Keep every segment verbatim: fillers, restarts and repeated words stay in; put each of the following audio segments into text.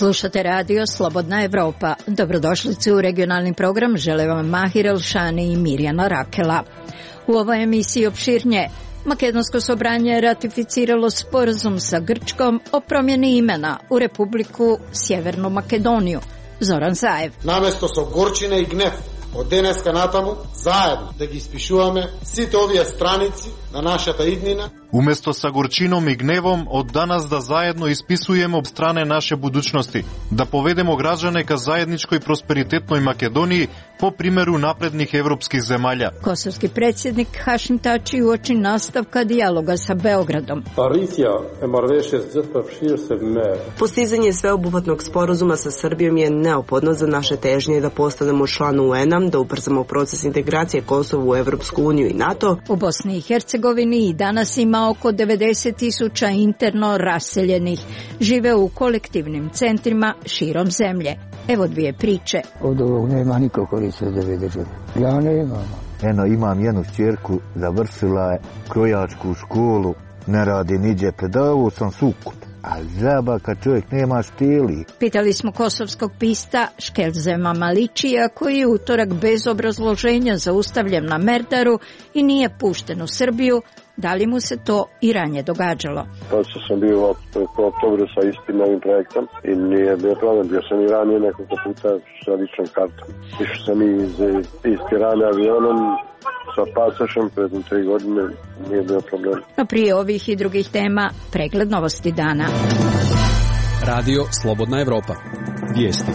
Slušate radio Slobodna Evropa. Dobrodošlici u regionalni program, žele vam Mahir Elšani i Mirjana Rakela. U ovoj emisiji opširnije, Makedonsko sobranje je ratificiralo sporazum sa Grčkom o promjeni imena u Republiku Sjevernu Makedoniju. Zoran Zaev. Наместо со горчина и гнев од денеска натаму заедно да ги испишуваме сите овие страници на нашата иднина. Уместо sa горчином и гневом од данас да заедно исписуеме об стране наше будучности, да поведемо граѓане ка заедничкој просперитетној Македонiji po primjeru naprednih evropskih zemalja. Kosovski predsjednik Hašim Tači uoči nastavka dijaloga sa Beogradom. Postizanje sveobuhvatnog sporazuma sa Srbijom je neophodno za naše težnje da postanemo član U N-a, da ubrzamo proces integracije Kosova u Evropsku uniju i NATO. U Bosni i Hercegovini i danas ima oko devedeset tisuća interno raseljenih. Žive u kolektivnim centrima širom zemlje. Evo dvije priče. Od ovog nema niko koriste za ove države. Ja nemam. Eno, imam jednu čerku, završila je krojačku školu, ne radi niđe predavu, sam sukut. A žaba kad čovjek nema štili. Pitali smo kosovskog pista Škelzema Maličija, koji je utorak bez obrazloženja zaustavljen na Merdaru i nije pušten u Srbiju. Da li mu se to i ranije događalo? To što sam bio u oktobru sa istim novim projektom i nije bio problem, bio sam i ranije nekoliko puta sa ličnom kartom. Išao sam iz, iz Tirane avionom sa pasošem pred tri godine, nije bio problem. No prije ovih i drugih tema, pregled novosti dana. Radio Slobodna Evropa. Vijesti.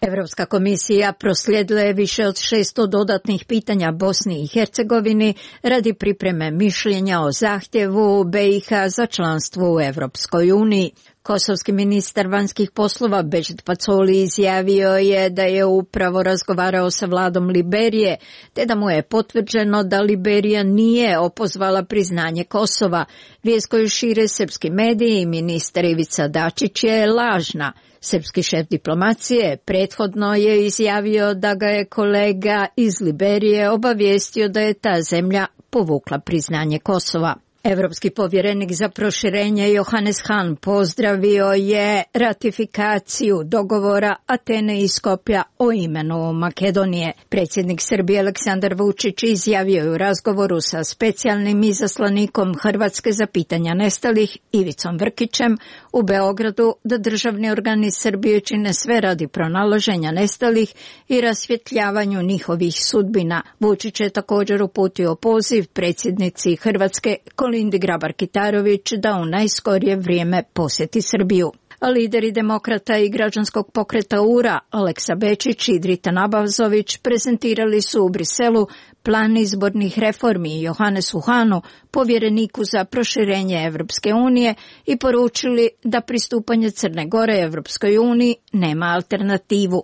Evropska komisija proslijedila je više od šesto dodatnih pitanja Bosni i Hercegovini radi pripreme mišljenja o zahtjevu B i H za članstvo u Evropskoj uniji. Kosovski ministar vanjskih poslova Bežit Pacoli izjavio je da je upravo razgovarao sa vladom Liberije, te da mu je potvrđeno da Liberija nije opozvala priznanje Kosova. Vijest koju šire srpski mediji i ministar Ivica Dačić je lažna. Srpski šef diplomacije prethodno je izjavio da ga je kolega iz Liberije obavijestio da je ta zemlja povukla priznanje Kosova. Evropski povjerenik za proširenje Johannes Hahn pozdravio je ratifikaciju dogovora Atene i Skopja o imenu Makedonije. Predsjednik Srbije Aleksandar Vučić izjavio je u razgovoru sa specijalnim izaslanikom Hrvatske za pitanja nestalih Ivicom Vrkićem u Beogradu da državni organi Srbije čine sve radi pronalaženja nestalih i rasvjetljavanju njihovih sudbina. Vučić je također uputio poziv predsjednici Hrvatske Kolindi Grabar-Kitarović da u najskorije vrijeme posjeti Srbiju. Lideri demokrata i građanskog pokreta U R A, Aleksa Bečić i Drita Nabazović, prezentirali su u Briselu plan izbornih reformi Johannesu Hahnu, povjereniku za proširenje Evropske unije, i poručili da pristupanje Crne Gore Evropskoj uniji nema alternativu.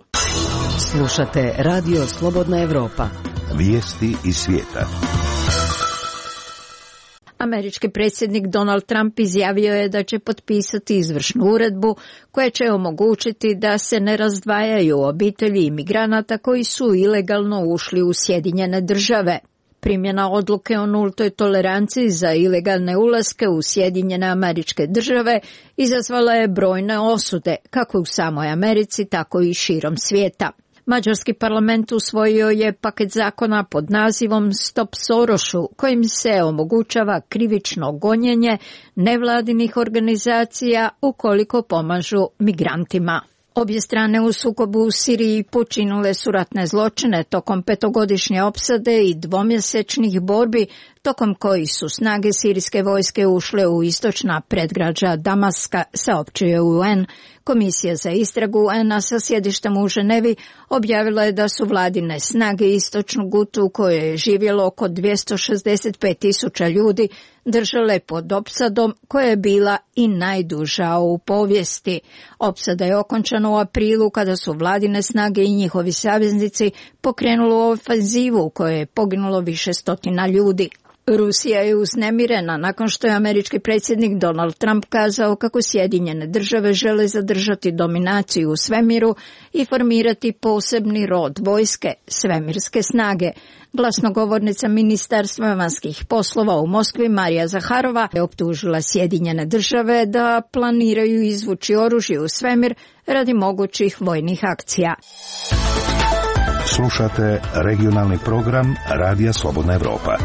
Slušate Radio Slobodna Evropa. Vijesti iz svijeta. Američki predsjednik Donald Trump izjavio je da će potpisati izvršnu uredbu koja će omogućiti da se ne razdvajaju obitelji imigranata koji su ilegalno ušli u Sjedinjene države. Primjena odluke o nultoj toleranciji za ilegalne ulaske u Sjedinjene Američke Države izazvala je brojne osude, kako u samoj Americi, tako i širom svijeta. Mađarski parlament usvojio je paket zakona pod nazivom Stop Sorošu, kojim se omogućava krivično gonjenje nevladinih organizacija ukoliko pomažu migrantima. Obje strane u sukobu u Siriji počinile su ratne zločine tokom petogodišnje opsade i dvomjesečnih borbi, tokom kojih su snage sirijske vojske ušle u istočna predgrađa Damaska, saopćio U N. Komisija za istragu U N-a sa sjedištem u Ženevi objavila je da su vladine snage istočnu Gutu, u kojoj je živjelo oko dvjesto šezdeset pet tisuća ljudi, držale pod opsadom koja je bila i najduža u povijesti. Opsada je okončana u aprilu kada su vladine snage i njihovi saveznici pokrenuli ofenzivu u kojoj je poginulo više stotina ljudi. Rusija je uznemirena nakon što je američki predsjednik Donald Trump kazao kako Sjedinjene države žele zadržati dominaciju u svemiru i formirati posebni rod vojske, svemirske snage. Glasnogovornica Ministarstva vanjskih poslova u Moskvi Marija Zaharova je optužila Sjedinjene države da planiraju izvući oružje u svemir radi mogućih vojnih akcija. Slušate regionalni program Radija Slobodna Evropa.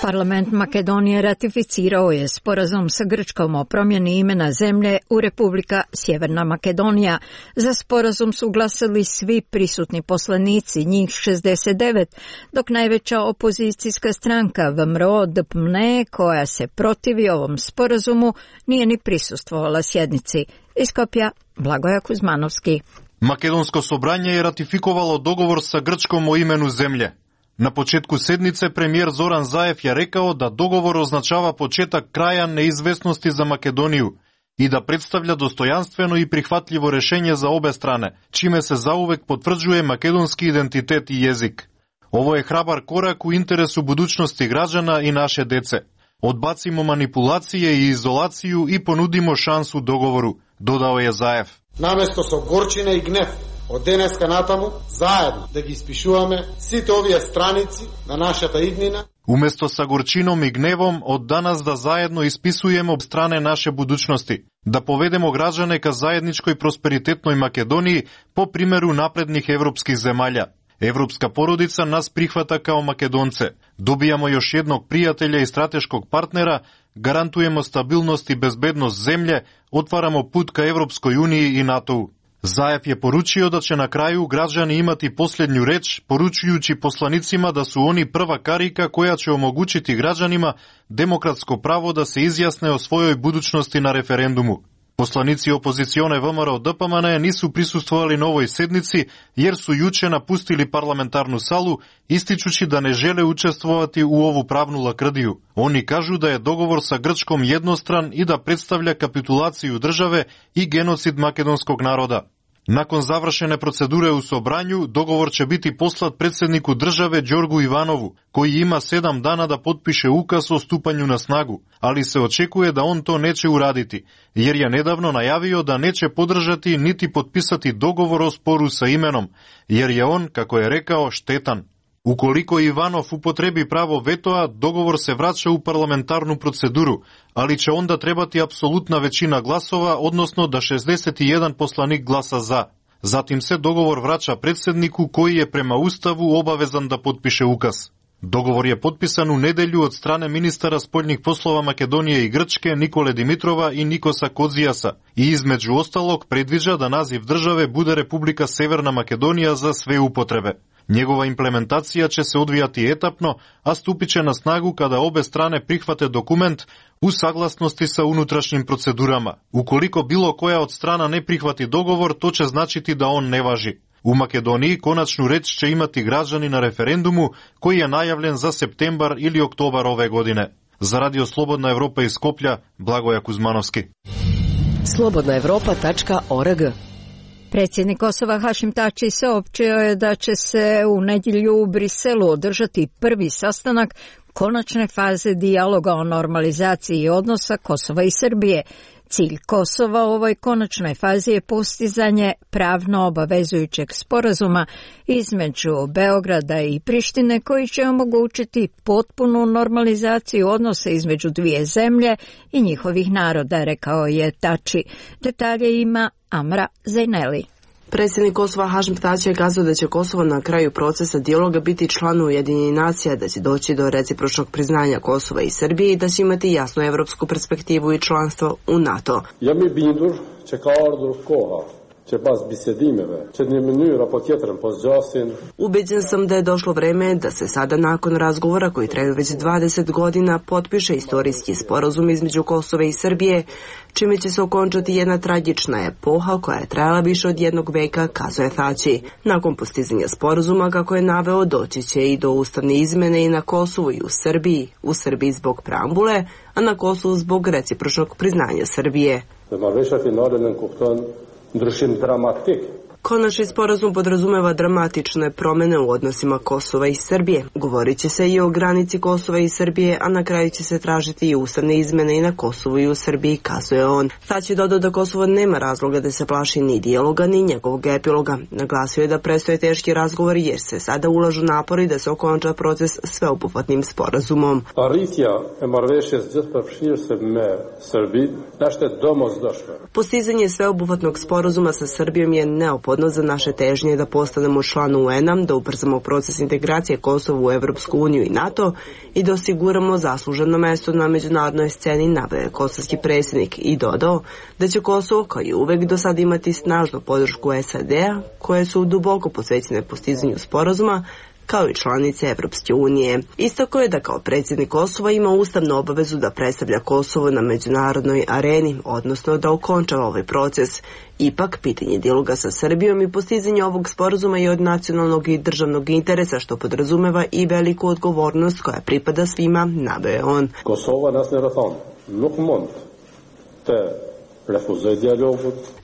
Parlament Makedonije ratificirao je sporazum sa Grčkom o promjeni imena zemlje u Republika Sjeverna Makedonija. Za sporazum su glasali svi prisutni poslanici, njih šezdeset devet, dok najveća opozicijska stranka V M R O D P M N E, koja se protivi ovom sporazumu, nije ni prisustvovala sjednici. Iz Skopja, Blagoja Kuzmanovski. Македонско собрање е ратификовало договор sa Grčkom o imenu земље. На почетку седнице премиер Зоран Заев ја рекао да договор означава почетак краја неизвестности за Македонију и да представља достојанствено и прихватливо решење за обе стране, чиме се заувек потврđuje македонски идентитет и језик. Ово е храбар корак у интересу будуćности граđana и наше деце. Одбацимо манипулација и изолацију и понудимо шансу договору, додао е Заев. Наместо со горчина и гнев од денеска натаму, заедно да ги испишуваме сите овие страници на нашата иднина. Уместо са горчином и гневом, од данас да заедно исписуеме об стране наше будуćности, да поведемо граđane ка заедничкој просперитетној Македонiji по примеру напредних европских земаља. Европска породица нас прихвата као македонце. Добијамо још едног пријателја и стратешког партнера, гарантуемо стабилност и безбедност земље, отварамо пут ка Европској унiji и НАТО. Заев je поручио да ќе на крају граđани имати последњу реч, поручујучи посланицима да су они прва карика која ќе омогучити граđanima демократско право да се изјасне о својој будуćности на референдуму. Посланици опозиционе В М Р O Д П М Н нису присуствували на овој седници, јер су јуче напустили парламентарну салу, истичучи да не желе учествувати у ову правну лакрдију. Они кажу да е договор са Грчком едностран и да представља капитулацију државе и геноцид македонског народа. Након завршене процедуре у собрању, договор ќе бити послат председнику државе Ѓоргу Иванову, кој има седам дана да подпише указ о ступању на снагу, али се очекuje да он то нече урадити, јер ја недавно најавио да нече подржати нити подписати договор о спору са именом, јер ја он, како е рекао, штетан. Уколико Иванов употреби право ветоа, договор се врача у парламентарну процедуру, али ќе онда требати апсолутна веćина гласова, односно да шездесет и еден посланик гласа за. Затим се договор врача председнику кој е према уставу обавезан да подпише указ. Договор е подписан у неделју од стране министара спољних послова Македонија и Грчке Николе Димитрова и Никоса Кодзијаса и измеѓу осталог предвиđa да назив државе буде Република Северна Македонија за све употребе. Njegova implementacija će se odvijati etapno, a stupit će na snagu kada obe strane prihvate dokument u saglasnosti sa unutrašnjim procedurama. Ukoliko bilo koja od strana ne prihvati dogovor, to će značiti da on ne važi. U Makedoniji konačnu reč će imati građani na referendumu koji je najavljen za septembar ili oktobar ove godine. Za Radio Slobodna Evropa iz Skoplja, Blagoja Kuzmanovski. slobodna evropa tačka org. Predsjednik Kosova Hašim Tači saopćio je da će se u nedjelju u Briselu održati prvi sastanak konačne faze dijaloga o normalizaciji odnosa Kosova i Srbije. Cilj Kosova u ovoj konačnoj fazi je postizanje pravno obavezujućeg sporazuma između Beograda i Prištine koji će omogućiti potpunu normalizaciju odnosa između dvije zemlje i njihovih naroda, rekao je Tači. Detalje ima Amra Zajneli. Predsjednik Kosova Hašim Tači je kazao da će Kosovo na kraju procesa dijaloga biti član Ujedinjenih nacija, da će doći do recipročnog priznanja Kosova i Srbije i da će imati jasnu evropsku perspektivu i članstvo u NATO. Jam i bindur që ka ardhur koha që pas bisedimeve që në mënyrë apo tjetrën po zgjasin. Ubeđen sam da je došlo vreme da se sada nakon razgovora koji traju već dvadeset godina potpiše istorijski sporazum između Kosova i Srbije, čime će se okončati jedna tragična epoha koja je trajala više od jednog veka, kazuje Tači. Nakon postizanja sporazuma, kako je naveo, doći će i do ustavne izmene i na Kosovu i u Srbiji, u Srbiji zbog preambule, a na Kosovu zbog recipročnog priznanja Srbije. Dhe marrëveshja finale nën kupton ndryshim dramatik Konačni sporazum podrazumeva dramatične promene u odnosima Kosova i Srbije. Govorit će se i o granici Kosova i Srbije, a na kraju će se tražiti i ustavne izmene i na Kosovu i u Srbiji, kazuje on. Sad će dodao da Kosovo nema razloga da se plaši ni dijaloga ni njegovog epiloga. Naglasio je da predstoje teški razgovori jer se sada ulažu napori da se okonča proces sveobuhvatnim sporazumom. Postizanje sveobuhvatnog sporazuma sa Srbijom je neophodno za naše težnje da postanemo član U N-a, da ubrzamo proces integracije Kosova u Evropsku uniju i NATO i da osiguramo zasluženo mesto na međunarodnoj sceni, naveo je kosovski predsjednik i dodao da će Kosovo kao i uvek do sada imati snažnu podršku S A D-a koje su duboko posvećene postizanju sporazuma kao i članice Evropske unije. Istako je da kao predsjednik Kosova ima ustavnu obavezu da predstavlja Kosovo na međunarodnoj areni, odnosno da okonča ovaj proces. Ipak, pitanje dijaloga sa Srbijom i postizanje ovog sporazuma je od nacionalnog i državnog interesa, što podrazumeva i veliku odgovornost koja pripada svima, naveo je on. Kosova nas ne rathon, nuk mund te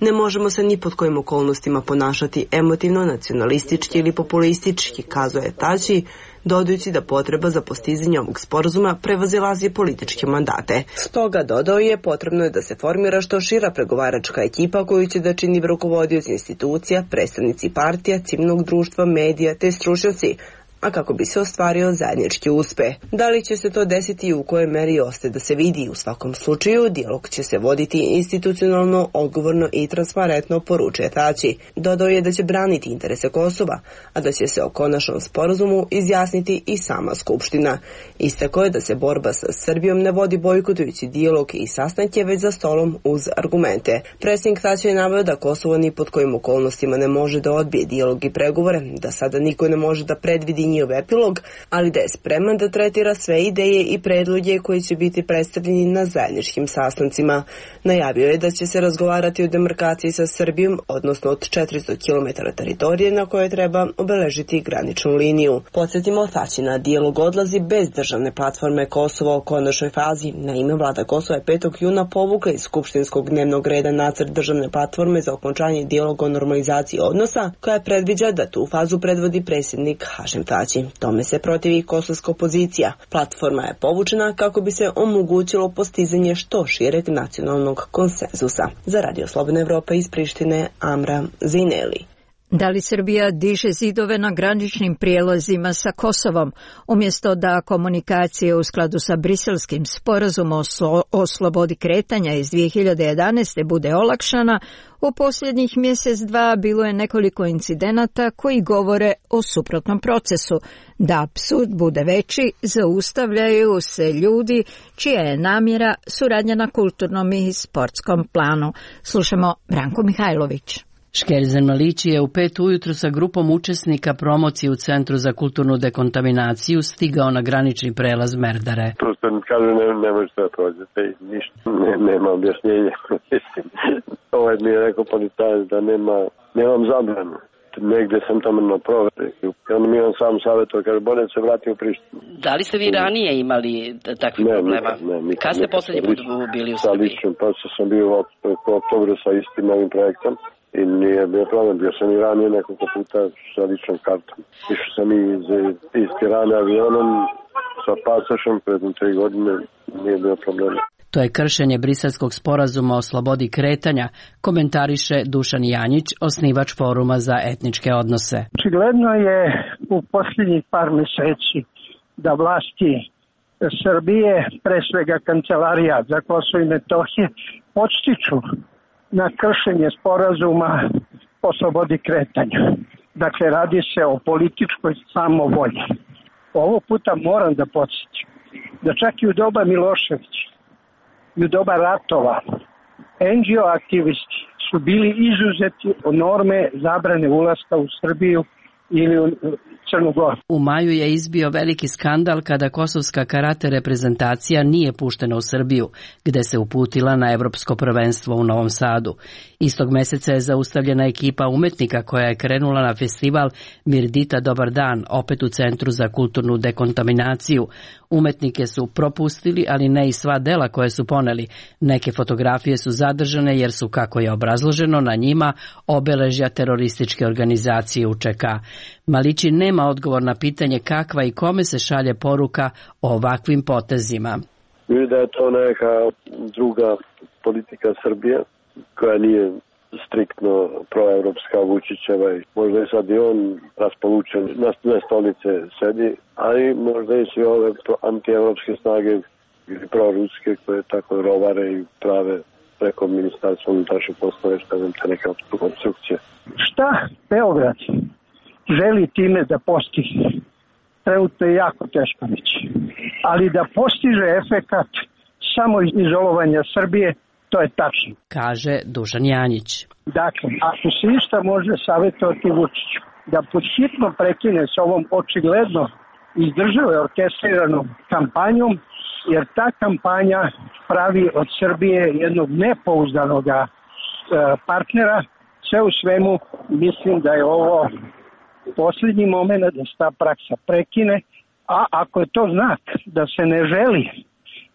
Ne možemo se ni pod kojim okolnostima ponašati emotivno, nacionalistički ili populistički, kazuje Tači, dodajući da potreba za postizanje ovog sporazuma prevazilazi političke mandate. Stoga, dodao je, potrebno je da se formira što šira pregovaračka ekipa koju će da čini rukovodioci institucija, predstavnici partija, civilnog društva, medija te stručnjaci, a kako bi se ostvario zajednički uspeh. Da li će se to desiti i u kojoj meri ostaje da se vidi, u svakom slučaju dijalog će se voditi institucionalno, odgovorno i transparentno, poručuje Tači. Dodao je da će braniti interese Kosova, a da će se o konačnom sporazumu izjasniti i sama Skupština. Istako je da se borba sa Srbijom ne vodi bojkotujući dijalog i sastanke, već za stolom uz argumente. Predsjednik Tači je naveo da Kosovo ni pod kojim okolnostima ne može da odbije dijalog i pregovore, da sada niko ne može da predvidi njihov epilog, ali da je spreman da tretira sve ideje i predloge koji će biti predstavljeni na zajedničkim sastancima. Najavio je da će se razgovarati o demarkaciji sa Srbijom, odnosno od četiristo kilometara teritorije na koje treba obeležiti graničnu liniju. Podsjetimo, Tači na dijalog odlazi bez državne platforme Kosovo u konačnoj fazi. Naime, vlada Kosova je petog juna povukla iz skupštinskog dnevnog reda nacrt državne platforme za okončanje dijaloga o normalizaciji odnosa, koja predviđa da tu fazu predvodi predsjednik Hašim Tači. Tome se protivi kosovska opozicija. Platforma je povučena kako bi se omogućilo postizanje što šireg nacionalnog konsenzusa. Za Radio Slobodna Evropa iz Prištine, Amra Zineli. Da li Srbija diže zidove na graničnim prijelazima sa Kosovom, umjesto da komunikacije u skladu sa briselskim sporazumom o slobodi kretanja iz dvije hiljade jedanaeste. bude olakšana, u posljednjih mjesec dva bilo je nekoliko incidenata koji govore o suprotnom procesu. Da apsurd bude veći, zaustavljaju se ljudi čija je namjera suradnja na kulturnom i sportskom planu. Slušamo Branko Mihajlović. Škerzen Malići je u pet ujutru sa grupom učesnika promocije u Centru za kulturnu dekontaminaciju stigao na granični prelaz Merdare. Prosto mi kažu ne, ne možete da prođete i ništa, ne, nema objašnjenja. Ovaj mi je rekao policajac da nema, nemam zabranu. Negdje sam tamo na proveri. On mi on sam savjetuje, kaže, bolje se vrati u Prištinu. Da li ste vi ranije imali takvih ne, problema? Ne, ne, Kad ste posljednji put bili u Srbiji? Pa sam bio u oktobru sa istim ovim projektom. I nije bio problem, bio sam i ranije nekoliko puta sa ličnom kartom. Išao sam iz, iz Tirane avionom sa pasošem pred tri godine, nije bio problem. To je kršenje briselskog sporazuma o slobodi kretanja, komentariše Dušan Janjić, osnivač foruma za etničke odnose. Očigledno je u posljednjih par mjeseci da vlasti Srbije, pre svega Kancelarija za Kosovo i Metohije, podstiču na kršenje sporazuma o slobodi kretanja. Dakle, radi se o političkoj samovolji. Ovo puta moram da podsjetim da čak i u doba Miloševića i u doba ratova en dži o aktivisti su bili izuzeti od norme zabrane ulaska u Srbiju ili u Crnu Goru. U maju je izbio veliki skandal kada kosovska karate reprezentacija nije puštena u Srbiju, gde se uputila na evropsko prvenstvo u Novom Sadu. Istog meseca je zaustavljena ekipa umetnika koja je krenula na festival Mirdita Dobar dan, opet u Centru za kulturnu dekontaminaciju. Umetnike su propustili, ali ne i sva dela koje su poneli. Neke fotografije su zadržane jer su, kako je obrazloženo, na njima obeležja terorističke organizacije U Č K. Malići nema odgovor na pitanje kakva i kome se šalje poruka o ovakvim potezima. Mislim da je to neka druga politika Srbije koja nije striktno proevropska Vučićeva i možda je sad i on raspolučen na dve stolice sedi, ali možda i svi ove antievropske snage ili proruske koje tako rovare i prave preko ministarstva unutrašnjih poslova, šta znam, te neke obstrukcije. Šta Beograd želi time da postigne? Trenutno je jako teško reći. Ali da postiže efekat samo izolovanja Srbije, to je tačno. Kaže Dušan Janjić. Dakle, ako se išta može savjetovati Vučiću, da podhitno prekine s ovom očigledno izdržave orkestriranom kampanjom, jer ta kampanja pravi od Srbije jednog nepouzdanog partnera. Sve u svemu mislim da je ovo posljednji moment da se ta praksa prekine, a ako je to znak da se ne želi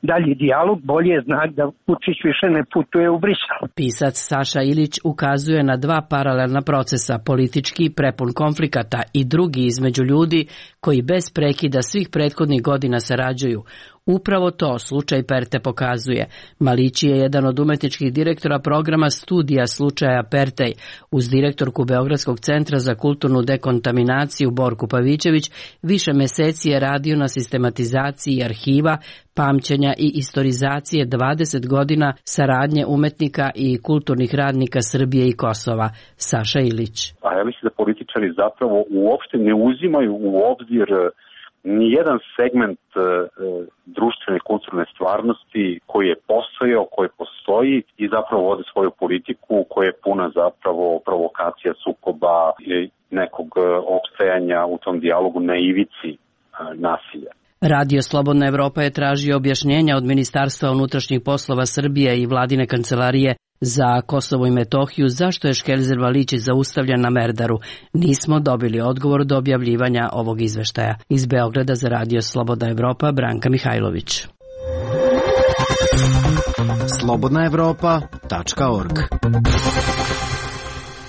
dalji dijalog, bolje je znak da Vučić više ne putuje u Brisel. Pisac Saša Ilić ukazuje na dva paralelna procesa, politički prepun konflikata i drugi između ljudi koji bez prekida svih prethodnih godina sarađuju. Upravo to slučaj Perte pokazuje. Malići je jedan od umetničkih direktora programa studija slučaja Pertej. Uz direktorku Beogradskog centra za kulturnu dekontaminaciju Borku Pavićević više meseci je radio na sistematizaciji arhiva, pamćenja i istorizacije dvadeset godina saradnje umetnika i kulturnih radnika Srbije i Kosova. Saša Ilić. A ja mislim da političari zapravo uopšte ne uzimaju u obzir nijedan segment e, društvene kulturne stvarnosti koji je postojao, koji postoji i zapravo vode svoju politiku koja je puna zapravo provokacija, sukoba i nekog opstajanja u tom dijalogu na ivici e, nasilja. Radio Slobodna Evropa je tražio objašnjenja od Ministarstva unutrašnjih poslova Srbije i vladine kancelarije za Kosovo i Metohiju zašto je Škelzer Valići zaustavljen na Merdaru. Nismo dobili odgovor do objavljivanja ovog izveštaja. Iz Beograda za Radio Slobodna Evropa, Branka Mihajlović. slobodna evropa tačka org.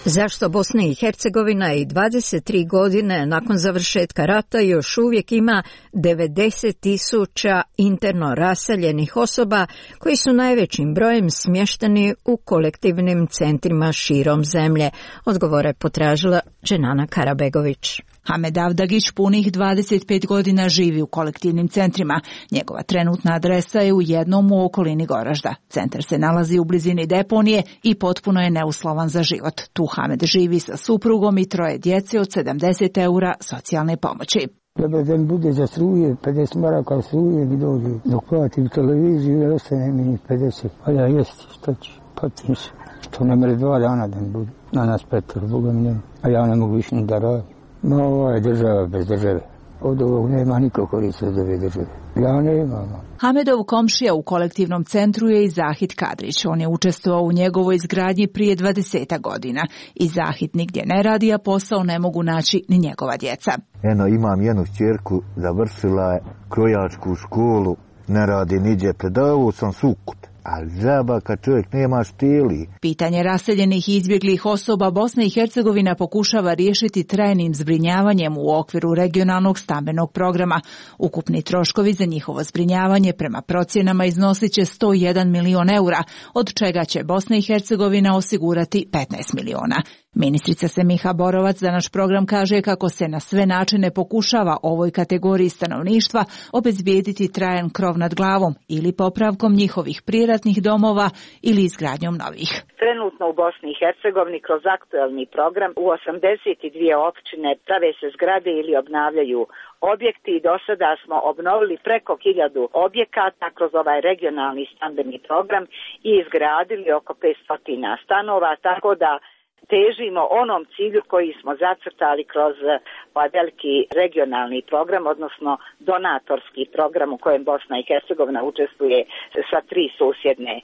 Zašto Bosna i Hercegovina i dvadeset tri godine nakon završetka rata još uvijek ima devedeset tisuća interno raseljenih osoba koji su najvećim brojem smješteni u kolektivnim centrima širom zemlje? Odgovore potražila Dženana Karabegović. Hamed Avdagić punih dvadeset pet godina živi u kolektivnim centrima. Njegova trenutna adresa je u jednom u okolini Goražda. Centar se nalazi u blizini deponije i potpuno je neuslovan za život. Tu Hamed živi sa suprugom i troje djece od sedamdeset eura socijalne pomoći. Dobar dan bude za struje, pedeset maraka struje mi dođe. Dok platim televiziju, ne ostane mi pedeset. Pa ja jesti, što ću, patim se. Što ne mere dva dana da mi bude. Na nas petor, Boga mi nema. A ja ne mogu više ni da radim. Ma ovo je država bez države. Od ovog nema niko koriste od ove države. Ja nemam. Hamedov komšija u kolektivnom centru je i Zahid Kadrić. On je učestvovao u njegovoj izgradnji prije dvadeset godina. I Zahid nigdje ne radi, a posao ne mogu naći ni njegova djeca. Eno, imam jednu ćerku, završila je krojačku školu, ne radi niđe, predavao sam Sukut. Ali džaba kad čovjek nema štili. Pitanje raseljenih i izbjeglih osoba Bosna i Hercegovina pokušava riješiti trajnim zbrinjavanjem u okviru regionalnog stambenog programa. Ukupni troškovi za njihovo zbrinjavanje prema procjenama iznosit će sto jedan milion eura, od čega će Bosna i Hercegovina osigurati petnaest miliona. Ministrica Semiha Borovac za naš program kaže kako se na sve načine pokušava ovoj kategoriji stanovništva obezbijediti trajan krov nad glavom ili popravkom njihovih privatnih domova ili izgradnjom novih. Trenutno u Bosni i Hercegovini kroz aktualni program u osamdeset dvije općine prave se zgrade ili obnavljaju objekti i do sada smo obnovili preko hiljadu objekata kroz ovaj regionalni stambeni program i izgradili oko petsto stanova, tako da težimo onom cilju koji smo zacrtali kroz ovaj veliki regionalni program, odnosno donatorski program u kojem Bosna i Hercegovina učestvuje sa tri susjedne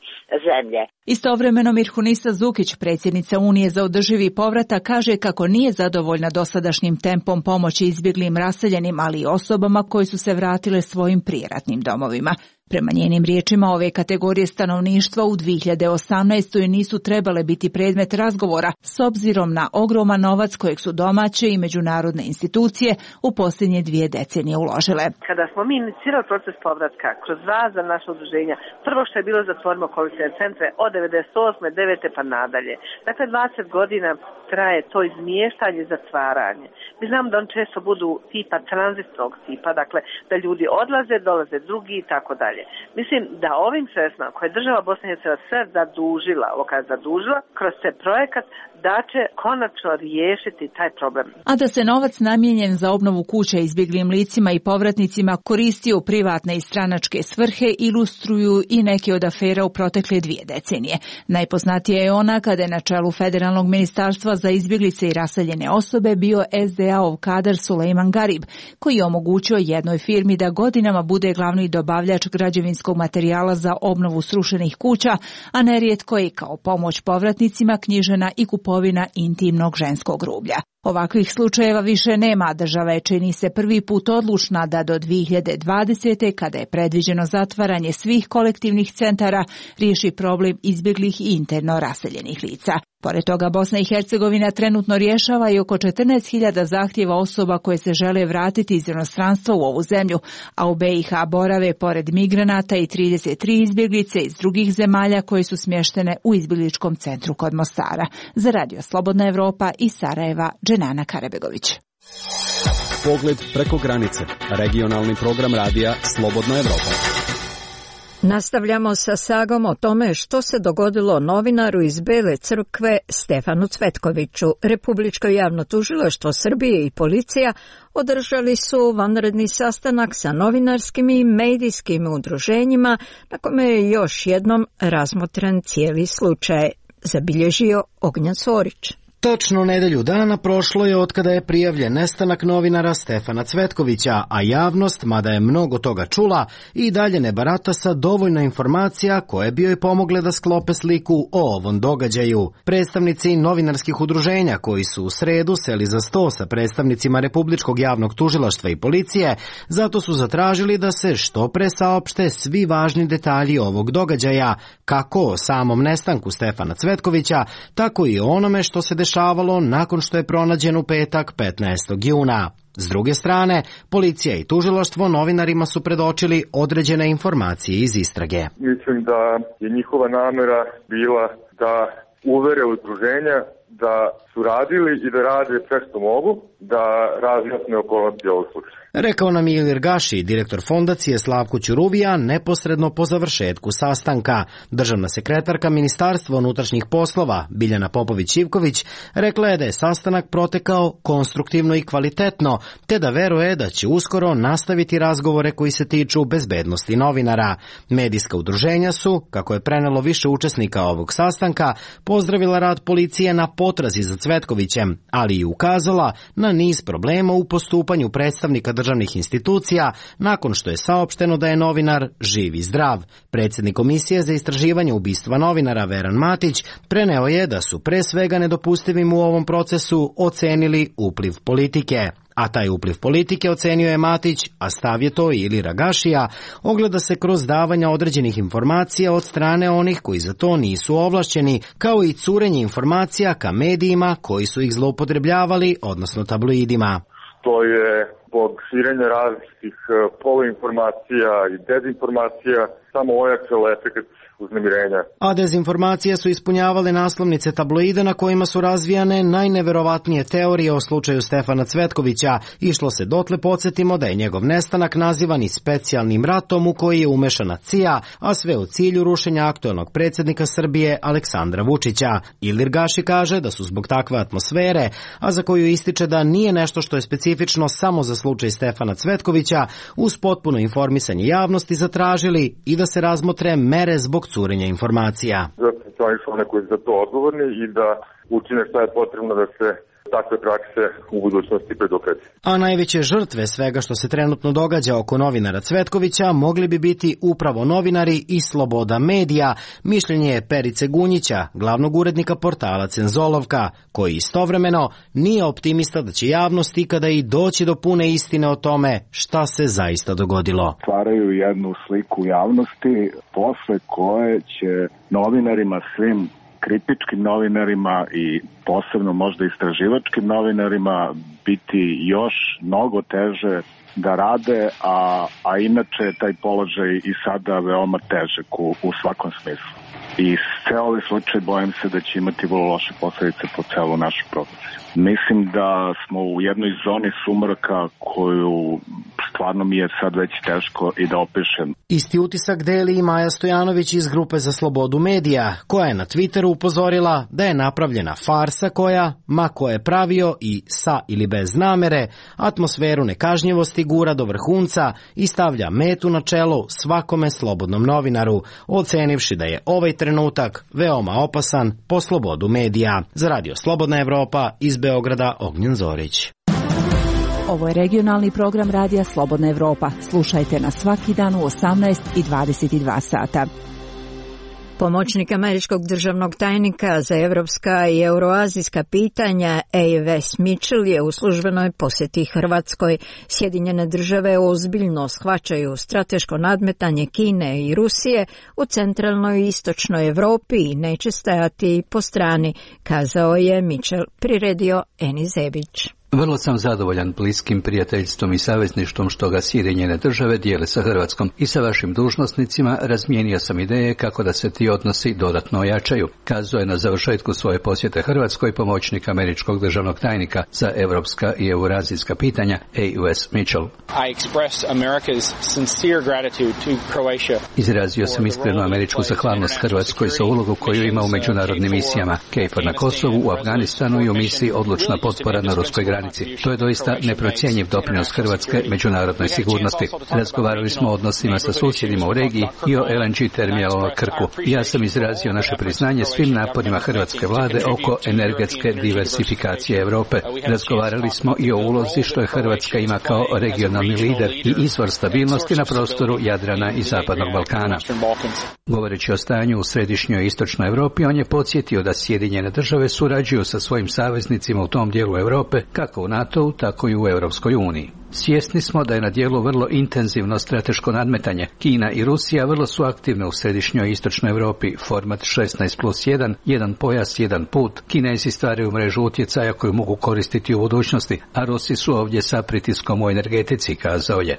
zemlje. Istovremeno Mirhunisa Zukić, predsjednica Unije za održivi povratak, kaže kako nije zadovoljna dosadašnjim tempom pomoći izbjeglim raseljenim, ali i osobama koji su se vratile svojim prijeratnim domovima. Prema njenim riječima, ove kategorije stanovništva u dvije hiljade osamnaestoj nisu trebale biti predmet razgovora s obzirom na ogroman novac kojeg su domaće i međunarodne institucije u posljednje dvije decenije uložile. Kada smo mi inicirali proces povratka kroz razna naša udruženja, prvo što je bilo zatvorimo koalicijne centre od devedeset osme, devete pa nadalje. Dakle, dvadeset godina traje to izmještanje i zatvaranje. Mi znamo da on često budu tipa tranzitnog tipa, dakle da ljudi odlaze, dolaze drugi i tako dalje. Mislim da ovim sredstvima koje je država Bosne i Hercegovine sve zadužila, ovo kad zadužila, kroz te projekat da će konačno riješiti taj problem. A da se novac namijenjen za obnovu kuća izbjeglim licima i povratnicima koristio u privatne i stranačke svrhe ilustruju i neke od afera u protekle dvije decenije. Najpoznatija je ona kada je na čelu Federalnog ministarstva za izbjeglice i raseljene osobe bio es de a-ov kadar Sulejman Garib, koji je omogućio jednoj firmi da godinama bude glavni dobavljač građevinskog materijala za obnovu srušenih kuća, a nerijetko je kao pomoć povratnicima knjižena i kupovina intimnog ženskog rublja. Ovakvih slučajeva više nema, država je čini se prvi put odlučna da do dvije hiljade dvadesete. kada je predviđeno zatvaranje svih kolektivnih centara, riješi problem izbjeglih i interno raseljenih lica. Pored toga, Bosna i Hercegovina trenutno rješava i oko četrnaest hiljada zahtjeva osoba koje se žele vratiti iz inostranstva u ovu zemlju, a u be i ha borave pored migranata i trideset tri izbjeglice iz drugih zemalja koje su smještene u izbjegličkom centru kod Mostara. Za Radio Slobodna Evropa iz Sarajeva, Dženana Karabegović. Pogled preko granice. Regionalni program radija Slobodna Evropa. Nastavljamo sa sagom o tome što se dogodilo novinaru iz Bele crkve Stefanu Cvetkoviću. Republičko javno tužilaštvo Srbije i policija održali su vanredni sastanak sa novinarskim i medijskim udruženjima na kome je još jednom razmotren cijeli slučaj, zabilježio Ognjan Sorić. Točno nedelju dana prošlo je otkada je prijavljen nestanak novinara Stefana Cvetkovića, a javnost, mada je mnogo toga čula, i dalje ne barata sa dovoljno informacija koje bi joj pomogle da sklope sliku o ovom događaju. Predstavnici novinarskih udruženja koji su u sredu seli za sto sa predstavnicima Republičkog javnog tužilaštva i policije, zato su zatražili da se što pre saopšte svi važni detalji ovog događaja, kako o samom nestanku Stefana Cvetkovića, tako i o onome što se dešavalo nakon što je pronađen u petak petnaestog juna. S druge strane, policija i tužilaštvo novinarima su predočili određene informacije iz istrage. Mislim da je njihova namera bila da uvere udruženja da su radili i da rade sve što mogu, da razjasne okolnosti ovog slučaja. Rekao nam je Ilir Gaši, direktor fondacije Slavko Ćuruvija, neposredno po završetku sastanka. Državna sekretarka Ministarstva unutrašnjih poslova, Biljana Popović-Ivković, rekla je da je sastanak protekao konstruktivno i kvalitetno, te da veruje da će uskoro nastaviti razgovore koji se tiču bezbednosti novinara. Medijska udruženja su, kako je prenelo više učesnika ovog sastanka, pozdravila rad policije na potrazi za Cvetkovićem, ali i ukazala na niz problema u postupanju predstavnika državnih institucija nakon što je saopšteno da je novinar živ i zdrav. Predsjednik Komisije za istraživanje ubistva novinara Veran Matić preneo je da su pre svega nedopustivim u ovom procesu ocenili upliv politike. A taj upliv politike, ocenio je Matić, a stav je to i Ilira Gašija, ogleda se kroz davanja određenih informacija od strane onih koji za to nisu ovlašćeni, kao i curenje informacija ka medijima koji su ih zloupotrebljavali, odnosno tabloidima. To je zbog širenja različitih poluinformacija i dezinformacija samo ojačalo efekt uznemirenja. A dezinformacije su ispunjavale naslovnice tabloida na kojima su razvijane najneverovatnije teorije o slučaju Stefana Cvetkovića. Išlo se dotle, podsjetimo, da je njegov nestanak nazivan i specijalnim ratom u koji je umešana C I A, a sve u cilju rušenja aktuelnog predsjednika Srbije Aleksandra Vučića. Ilir Gaši kaže da su zbog takve atmosfere, a za koju ističe da nije nešto što je specifično samo za slučaj Stefana Cvetkovića, uz potpuno informisanje javnosti zatražili i da se razmotre mere zbog curenja informacija. Zato su oni koji su za to odgovorni i da učine šta je potrebno da se takve prakse u budućnosti predupredi. A najveće žrtve svega što se trenutno događa oko novinara Cvetkovića mogli bi biti upravo novinari i sloboda medija, mišljenje je Perice Gunjića, glavnog urednika portala Cenzolovka, koji istovremeno nije optimista da će javnost ikada i doći do pune istine o tome šta se zaista dogodilo. Stvaraju jednu sliku javnosti posle koje će novinarima, svim kritičkim novinarima i posebno možda istraživačkim novinarima biti još mnogo teže da rade, a, a inače je taj položaj i sada veoma težak u, u svakom smislu. I sve ove slučaje bojim se da će imati vrlo loše posledice po celu našu profesiju. Mislim da smo u jednoj zoni sumraka koju stvarno mi je sad već teško i da opišem. Isti utisak deli i Maja Stojanović iz Grupe za slobodu medija, koja je na Twitteru upozorila da je napravljena farsa koja, ma ko je pravio i sa ili bez namere, atmosferu nekažnjivosti gura do vrhunca i stavlja metu na čelo svakome slobodnom novinaru, ocenivši da je ovaj trenutak veoma opasan po slobodu medija. Za Radio Slobodna Evropa iz Beograda, Ognjen Zorić. Ovo je regionalni program Radija Slobodna Evropa. Slušajte nas svaki dan u osamnaest i dvadeset dva sata. Pomoćnik američkog državnog tajnika za evropska i euroazijska pitanja A. Wes Mitchell je u službenoj posjeti Hrvatskoj. Sjedinjene države ozbiljno shvaćaju strateško nadmetanje Kine i Rusije u centralnoj i istočnoj Evropi i neće stajati po strani, kazao je Mitchell, priredio Eni Zebić. Vrlo sam zadovoljan bliskim prijateljstvom i savezništvom što ga Sjedinjene države dijele sa Hrvatskom i sa vašim dužnosnicima razmijenio sam ideje kako da se ti odnosi dodatno ojačaju, kazao je na završetku svoje posjete Hrvatskoj pomoćnik američkog državnog tajnika za evropska i eurazijska pitanja A. Wes Mitchell. Izrazio sam iskrenu američku zahvalnost Hrvatskoj za ulogu koju ima u međunarodnim misijama KFOR na Kosovu, u Afganistanu i u misiji Odlučna potpora na ruskoj granici. To je doista neprocjenjiv doprinos Hrvatske međunarodnoj sigurnosti. Razgovarali smo o odnosima sa susjedima u regiji i o L N G terminalu na Krku. Ja sam izrazio naše priznanje svim naporima hrvatske vlade oko energetske diversifikacije Europe. Razgovarali smo i o ulozi što je Hrvatska ima kao regionalni lider i izvor stabilnosti na prostoru Jadrana i Zapadnog Balkana. Govoreći o stanju u središnjoj i istočnoj Europi, on je podsjetio da Sjedinjene države surađuju sa svojim saveznicima u tom dijelu Europe, kako u NATO-u, tako i u Europskoj uniji. Svjesni smo da je na dijelu vrlo intenzivno strateško nadmetanje. Kina i Rusija vrlo su aktivne u središnjoj i istočnoj Europi, format šesnaest plus jedan, jedan pojas, jedan put. Kinezi stvaraju mrežu utjecaja koju mogu koristiti u budućnosti, a Rusi su ovdje sa pritiskom u energetici, kazao je.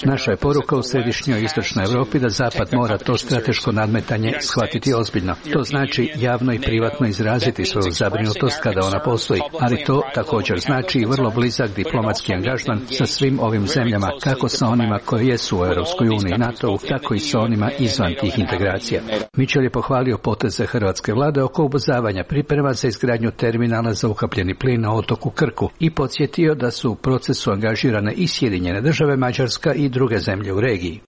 Naša je poruka u središnjoj i istočnoj Europi da Zapad mora to strateško nadmetanje shvatiti ozbiljno. To znači javno i privatno izraziti svoju zabrinutost kada ona postoji, ali to također znači i vrlo blizak diplomatski angažman sa svim ovim zemljama, kako sa onima koji jesu u Europskoj uniji i NATO-u, tako i sa onima izvan tih integracija. Mitchell je pohvalio poteze hrvatske vlade oko ubrzavanja priprema za izgradnju terminala za ukapljeni plin na otoku Krku i podsjetio da su u procesu angažirane i Sjedinjene države, Mađarska i druge zemlje u regiji.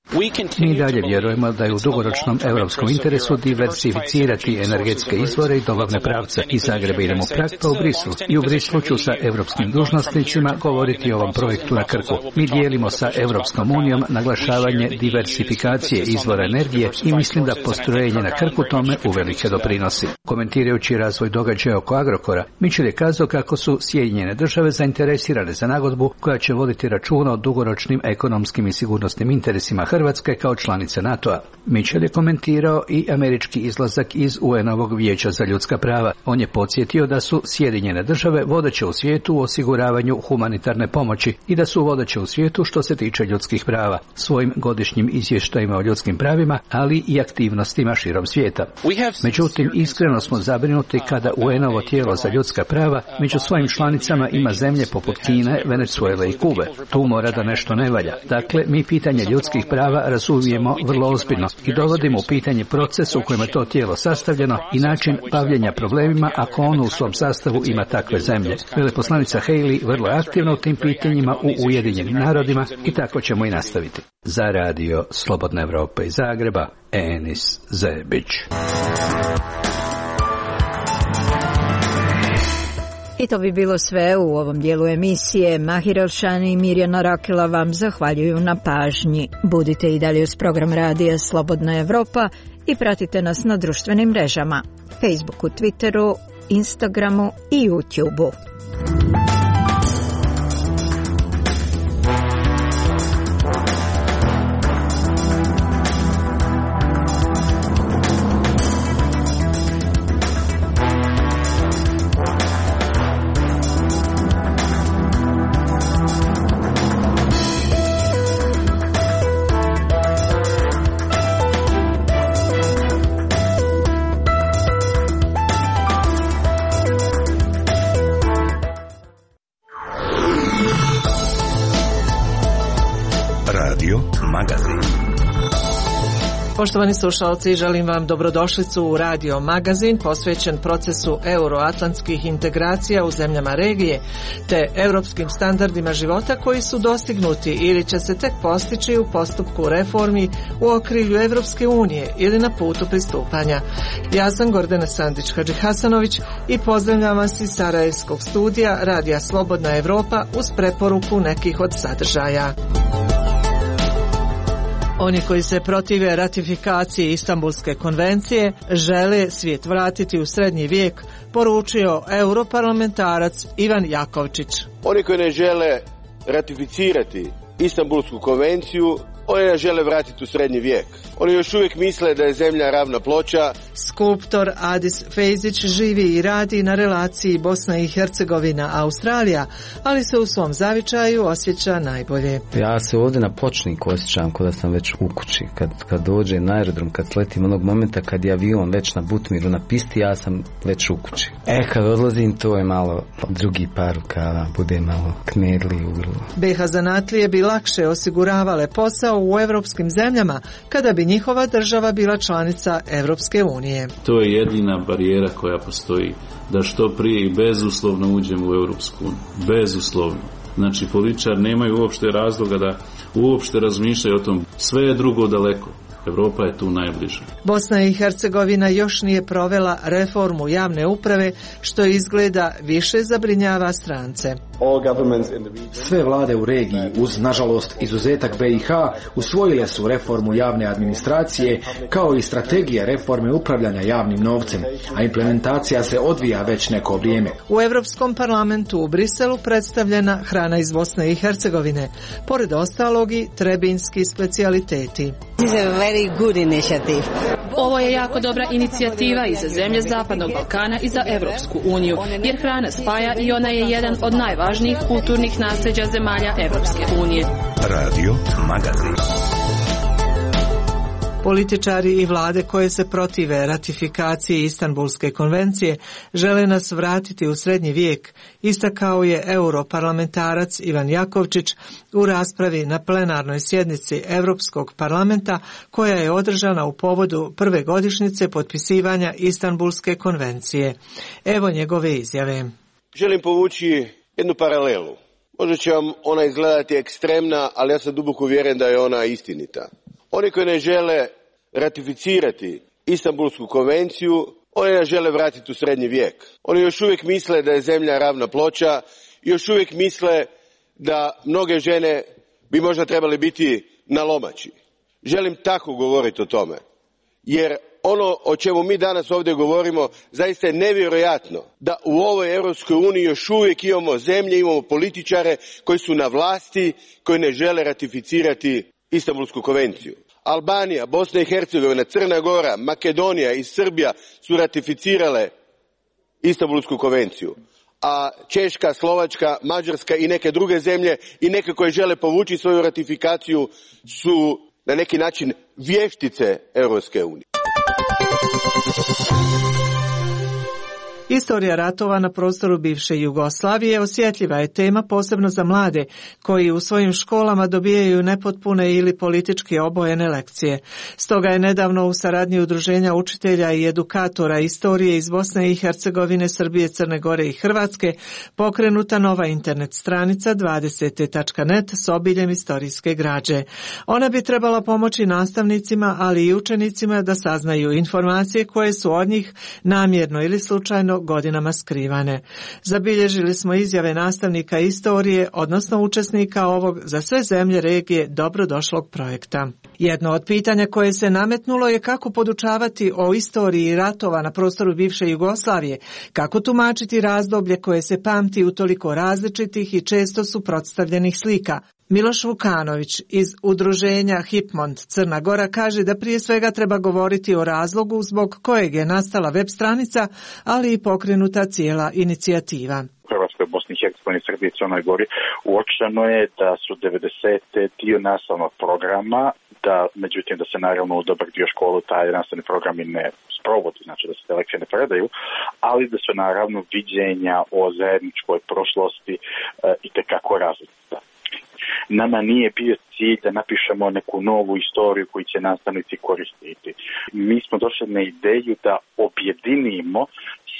Mi dalje vjerujemo da je u dugoročnom europskom interesu diversificirati energetske izvore i dobavne pravce. Iz Zagreba idemo u Prag pa u Brislu i u Brislu ću sa europskim dužnosnicima govoriti o ovom projektu na Krku. Mi dijelimo sa Europskom unijom naglašavanje diversifikacije izvora energije i mislim da postrojenje na Krku tome uvelike doprinosi. Komentirajući razvoj događaja oko Agrokora, Mitchell je kazao kako su Sjedinjene države zainteresirane za nagodbu koja će voditi računa o dugoročnim ekonomskim i sigurnosnim interesima Hrvatske kao članice NATO-a. Mitchell je komentirao i američki izlazak iz U N-ovog vijeća za ljudska prava. On je podsjetio da su Sjedinjene države vodeće u svijetu u osiguravanju humanitarne pomoći i da su vodeće u svijetu što se tiče ljudskih prava, svojim godišnjim izvještajima o ljudskim pravima, ali i aktivnostima širom svijeta. Međutim, iskreno smo zabrinuti kada U N-ovo tijelo za ljudska prava među svojim članicama ima zemlje poput Kine, Venezuele i Kube. Tu mora da nešto ne valja. Dakle, mi pitanje ljudskih prava razumijemo vrlo ozbiljno i dovodimo u pitanje proces u kojem je to tijelo sastavljeno i način bavljenja problemima ako ono u svom sastavu ima takve zemlje. Veleposlanica Haley vrlo je aktivna u tim pitanjima u Ujedinjenim narodima i tako ćemo i nastaviti. Za radio Slobodna Evropa iz Zagreba, Enis Zebić. I to bi bilo sve u ovom dijelu emisije. Mahir Elšani i Mirjana Rakela vam zahvaljuju na pažnji. Budite i dalje uz program radija Slobodna Evropa i pratite nas na društvenim mrežama, Facebooku, Twitteru, Instagramu i YouTubeu. Poštovani slušalci, želim vam dobrodošlicu u Radio Magazin posvećen procesu euroatlantskih integracija u zemljama regije te europskim standardima života koji su dostignuti ili će se tek postići u postupku reformi u okrilju Evropske unije ili na putu pristupanja. Ja sam Gordana Sandić-Hadžihasanović i pozdravljam vas iz Sarajevskog studija Radija Slobodna Evropa uz preporuku nekih od sadržaja. Oni koji se protive ratifikaciji Istanbulske konvencije žele svijet vratiti u srednji vijek, poručio europarlamentarac Ivan Jakovčić. Oni koji ne žele ratificirati Istanbulsku konvenciju, oni ne žele vratiti u srednji vijek. Oni još uvijek misle da je zemlja ravna ploča. Skulptor Adis Fejzić živi i radi na relaciji Bosna i Hercegovina Australija, ali se u svom zavičaju osjeća najbolje. Ja se ovdje na pločniku osjećam kao da sam već u kući. Kad, kad dođe na aerodrom, kad sletim onog momenta kad je avion već na Butmiru na pisti, ja sam već u kući. E, kad odlazim, to je malo drugi par rukava, bude malo knedli u grlu. B iH zanatlije bi lakše osiguravale posao u evropskim zemljama kada bi njihova država bila članica Evropske unije. To je jedina barijera koja postoji, da što prije i bezuslovno uđemo u Evropsku uniju. Bezuslovno. Znači, političari nemaju uopšte razloga da uopšte razmišljaju o tom. Sve je drugo daleko. Evropa je tu najbliže. Bosna i Hercegovina još nije provela reformu javne uprave, što izgleda više zabrinjava strance. Sve vlade u regiji, uz nažalost izuzetak B iH, usvojile su reformu javne administracije kao i strategije reforme upravljanja javnim novcem, a implementacija se odvija već neko vrijeme. U Europskom parlamentu u Briselu predstavljena hrana iz Bosne i Hercegovine, pored ostalog i trebinski specijaliteti. Ovo je jako dobra inicijativa i za zemlje Zapadnog Balkana i za Evropsku uniju, jer hrana spaja i ona je jedan od najvažnijih kulturnih nasljeđa zemalja Evropske unije. Radio Magazin. Političari i vlade koje se protive ratifikaciji Istanbulske konvencije žele nas vratiti u srednji vijek, istakao je europarlamentarac Ivan Jakovčić u raspravi na plenarnoj sjednici Europskog parlamenta koja je održana u povodu prve godišnjice potpisivanja Istanbulske konvencije. Evo njegove izjave. Želim povući jednu paralelu. Možda će vam ona izgledati ekstremna, ali ja sam duboko uvjeren da je ona istinita. Oni koji ne žele ratificirati Istanbulsku konvenciju, oni ne žele vratiti u srednji vijek. Oni još uvijek misle da je zemlja ravna ploča, još uvijek misle da mnoge žene bi možda trebale biti na lomači. Želim tako govoriti o tome, jer ono o čemu mi danas ovdje govorimo zaista je nevjerojatno da u ovoj Europskoj uniji još uvijek imamo zemlje, imamo političare koji su na vlasti, koji ne žele ratificirati Istanbulsku konvenciju. Albanija, Bosna i Hercegovina, Crna Gora, Makedonija i Srbija su ratificirale Istanbulsku konvenciju, a Češka, Slovačka, Mađarska i neke druge zemlje i neke koje žele povući svoju ratifikaciju su na neki način vještice Europske unije. Istorija ratova na prostoru bivše Jugoslavije osjetljiva je tema posebno za mlade koji u svojim školama dobijaju nepotpune ili politički obojene lekcije. Stoga je nedavno u saradnji Udruženja učitelja i edukatora istorije iz Bosne i Hercegovine, Srbije, Crne Gore i Hrvatske pokrenuta nova internet stranica dvadeset tačka net s obiljem istorijske građe. Ona bi trebala pomoći nastavnicima, ali i učenicima da saznaju informacije koje su od njih namjerno ili slučajno bio godinama skrivane. Zabilježili smo izjave nastavnika istorije, odnosno učesnika ovog za sve zemlje regije dobrodošlog projekta. Jedno od pitanja koje se nametnulo je kako podučavati o istoriji ratova na prostoru bivše Jugoslavije, kako tumačiti razdoblje koje se pamti u toliko različitih i često suprotstavljenih slika. Miloš Vukanović iz udruženja Hipmont Crna Gora kaže da prije svega treba govoriti o razlogu zbog kojeg je nastala web stranica, ali i pokrenuta cijela inicijativa. Hrvatskoj, Bosni i Hercegovini, Srbiji i Crnoj Gori uočeno je da su devedesete dio nastavnog programa, da međutim da se naravno u dobar dio školu taj nastavni programi ne sprovodi, znači da se te lekcije ne predaju, ali da su naravno viđenja o zajedničkoj prošlosti e, itekako različita. Nama nije bio cilj da napišemo neku novu istoriju koju će nastavnici koristiti. Mi smo došli na ideju da objedinimo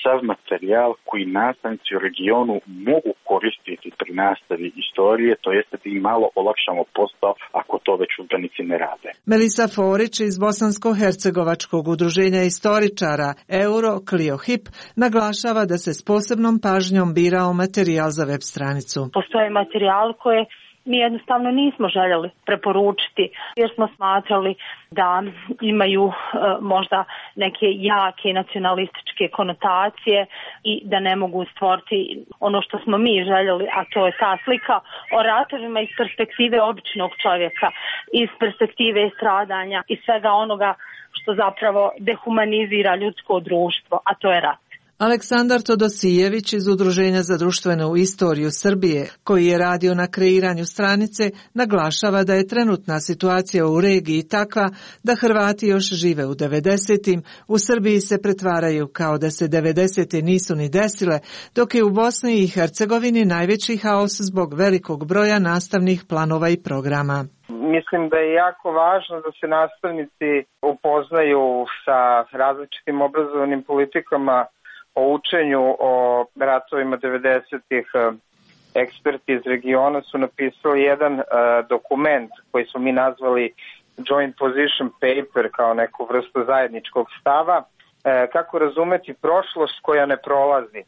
sav materijal koji nastavnici u regionu mogu koristiti pri nastavi istorije, to jeste da im malo olakšamo posao ako to već udžbenici ne rade. Melisa Forić iz Bosansko-hercegovačkog udruženja istoričara Euro Clio Hip naglašava da se s posebnom pažnjom birao materijal za web stranicu. Postoje materijal koje mi jednostavno nismo željeli preporučiti jer smo smatrali da imaju e, možda neke jake nacionalističke konotacije i da ne mogu stvoriti ono što smo mi željeli, a to je ta slika o ratovima iz perspektive običnog čovjeka, iz perspektive stradanja i svega onoga što zapravo dehumanizira ljudsko društvo, a to je rat. Aleksandar Todosijević iz Udruženja za društvenu istoriju Srbije, koji je radio na kreiranju stranice, naglašava da je trenutna situacija u regiji takva da Hrvati još žive u devedesetim, u Srbiji se pretvaraju kao da se devedesete nisu ni desile, dok je u Bosni i Hercegovini najveći haos zbog velikog broja nastavnih planova i programa. Mislim da je jako važno da se nastavnici upoznaju sa različitim obrazovnim politikama o učenju o ratovima devedesetih. Eksperti iz regiona su napisali jedan uh, dokument koji smo mi nazvali Joint Position Paper, kao neku vrstu zajedničkog stava, uh, kako razumeti prošlost koja ne prolazi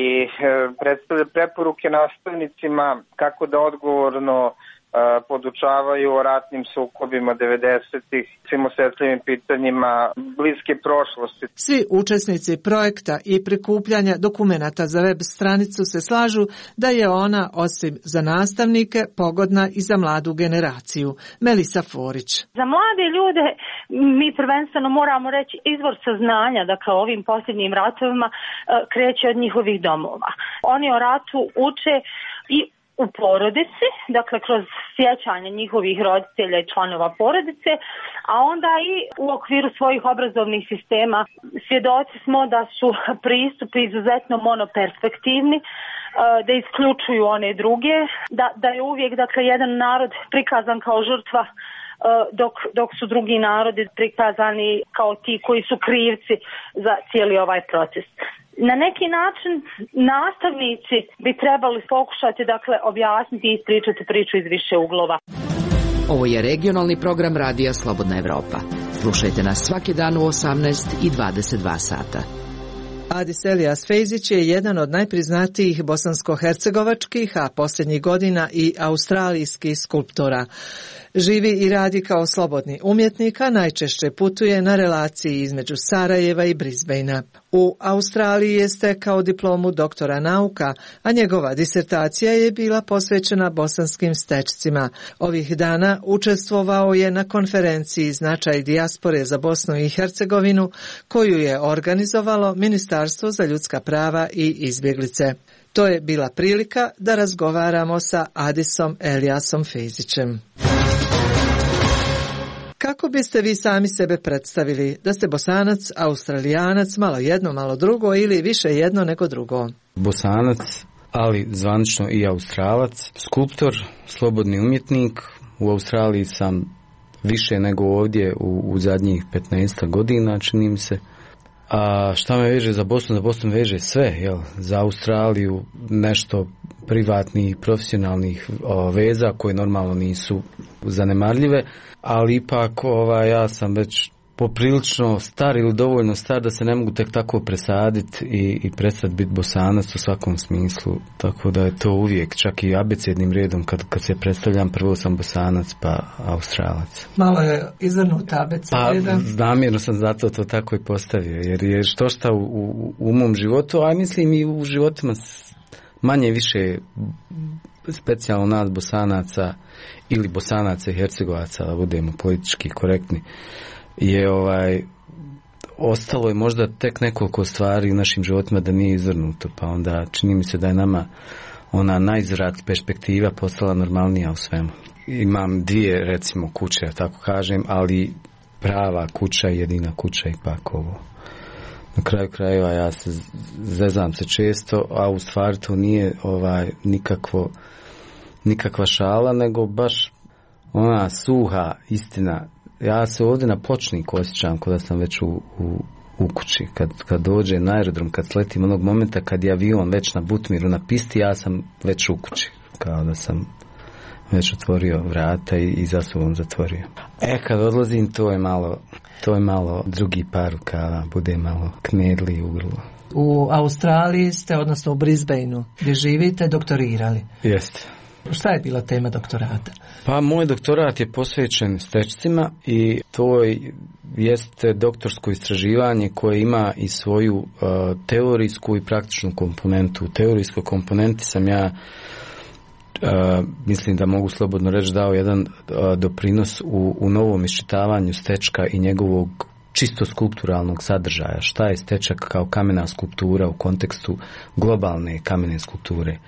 i uh, predstavlja preporuke nastavnicima kako da odgovorno podučavaju o ratnim sukobima devedesetih, svim osjetljivim pitanjima bliske prošlosti. Svi učesnici projekta i prikupljanja dokumenata za web stranicu se slažu da je ona, osim za nastavnike, pogodna i za mladu generaciju. Melisa Forić. Za mlade ljude mi prvenstveno moramo reći izvor saznanja, dakle o ovim posljednjim ratovima kreće od njihovih domova. Oni o ratu uče i u porodici, dakle kroz sjećanje njihovih roditelja i članova porodice, a onda i u okviru svojih obrazovnih sistema. Svjedoci smo da su pristupi izuzetno monoperspektivni, da isključuju one druge, da, da je uvijek dakle jedan narod prikazan kao žrtva, dok, dok su drugi narodi prikazani kao ti koji su krivci za cijeli ovaj proces. Na neki način nastavnici bi trebali pokušati dakle objasniti i ispričati priču iz više uglova. Ovo je regionalni program Radija Slobodna Evropa. Slušajte nas svaki dan u osamnaest i dvadeset dva sata. Adis Elijas Fejzić je jedan od najpriznatijih bosansko-hercegovačkih, a posljednjih godina i australijskih skulptora. Živi i radi kao slobodni umjetnik, a najčešće putuje na relaciji između Sarajeva i Brisbanea. U Australiji je stekao diplomu doktora nauka, a njegova disertacija je bila posvećena bosanskim stečcima. Ovih dana učestvovao je na konferenciji Značaj dijaspore za Bosnu i Hercegovinu, koju je organizovalo Ministarstvo za ljudska prava i izbjeglice. To je bila prilika da razgovaramo sa Adisom Elijasom Fejzićem. Kako biste vi sami sebe predstavili? Da ste Bosanac, Australijanac, malo jedno, malo drugo ili više jedno nego drugo? Bosanac, ali zvanično i Australac, skulptor, slobodni umjetnik. U Australiji sam više nego ovdje u, u zadnjih petnaest godina, čini mi se. A šta me veže za Bosnu? Za Bosnu veže sve, jel? Za Australiju nešto privatnih, profesionalnih o, veza koje normalno nisu zanemarljive, ali ipak ova, ja sam već poprilično star ili dovoljno star da se ne mogu tek tako presaditi i, i prestati biti Bosanac u svakom smislu, tako da je to uvijek, čak i abecednim redom kad, kad se predstavljam, prvo sam Bosanac pa Australac. Malo je izvrnuta abeceda. Pa namjerno sam zato to tako i postavio, jer je što šta u, u, u mom životu, a mislim i u životima manje više specijalno nas Bosanaca ili Bosanaca i Hercegovaca, da budemo politički korektni, je ovaj ostalo je možda tek nekoliko stvari u našim životima da nije izvrnuto, pa onda čini mi se da je nama ona najzrat perspektiva postala normalnija u svemu. Imam dvije recimo kuće, tako kažem, ali prava kuća i jedina kuća ipak ovo. Na kraju krajeva ja se zezam se često, a u stvari to nije ovaj nikakvo nikakva šala, nego baš ona suha istina. Ja se ovdje na pločniku osjećam kao da sam već u, u, u kući. Kad, kad dođe na aerodrom, kad sletim onog momenta kad je avion već na Butmiru na pisti, ja sam već u kući. Kao da sam već otvorio vrata i, i za sobom zatvorio. E, kad odlazim, to je malo, to je malo drugi par rukava, bude malo knedli u grlu. U Australiji ste, odnosno u Brisbaneu, gdje živite, doktorirali. Jeste. Šta je bila tema doktorata? Pa moj doktorat je posvećen stečcima i to jeste doktorsko istraživanje koje ima i svoju uh, teorijsku i praktičnu komponentu. U teorijskoj komponenti sam ja Uh, mislim da mogu slobodno reći dao jedan uh, doprinos u, u novom iščitavanju stečka i njegovog čisto skulpturalnog sadržaja. Šta je stečak kao kamena skulptura u kontekstu globalne kamene skulpture,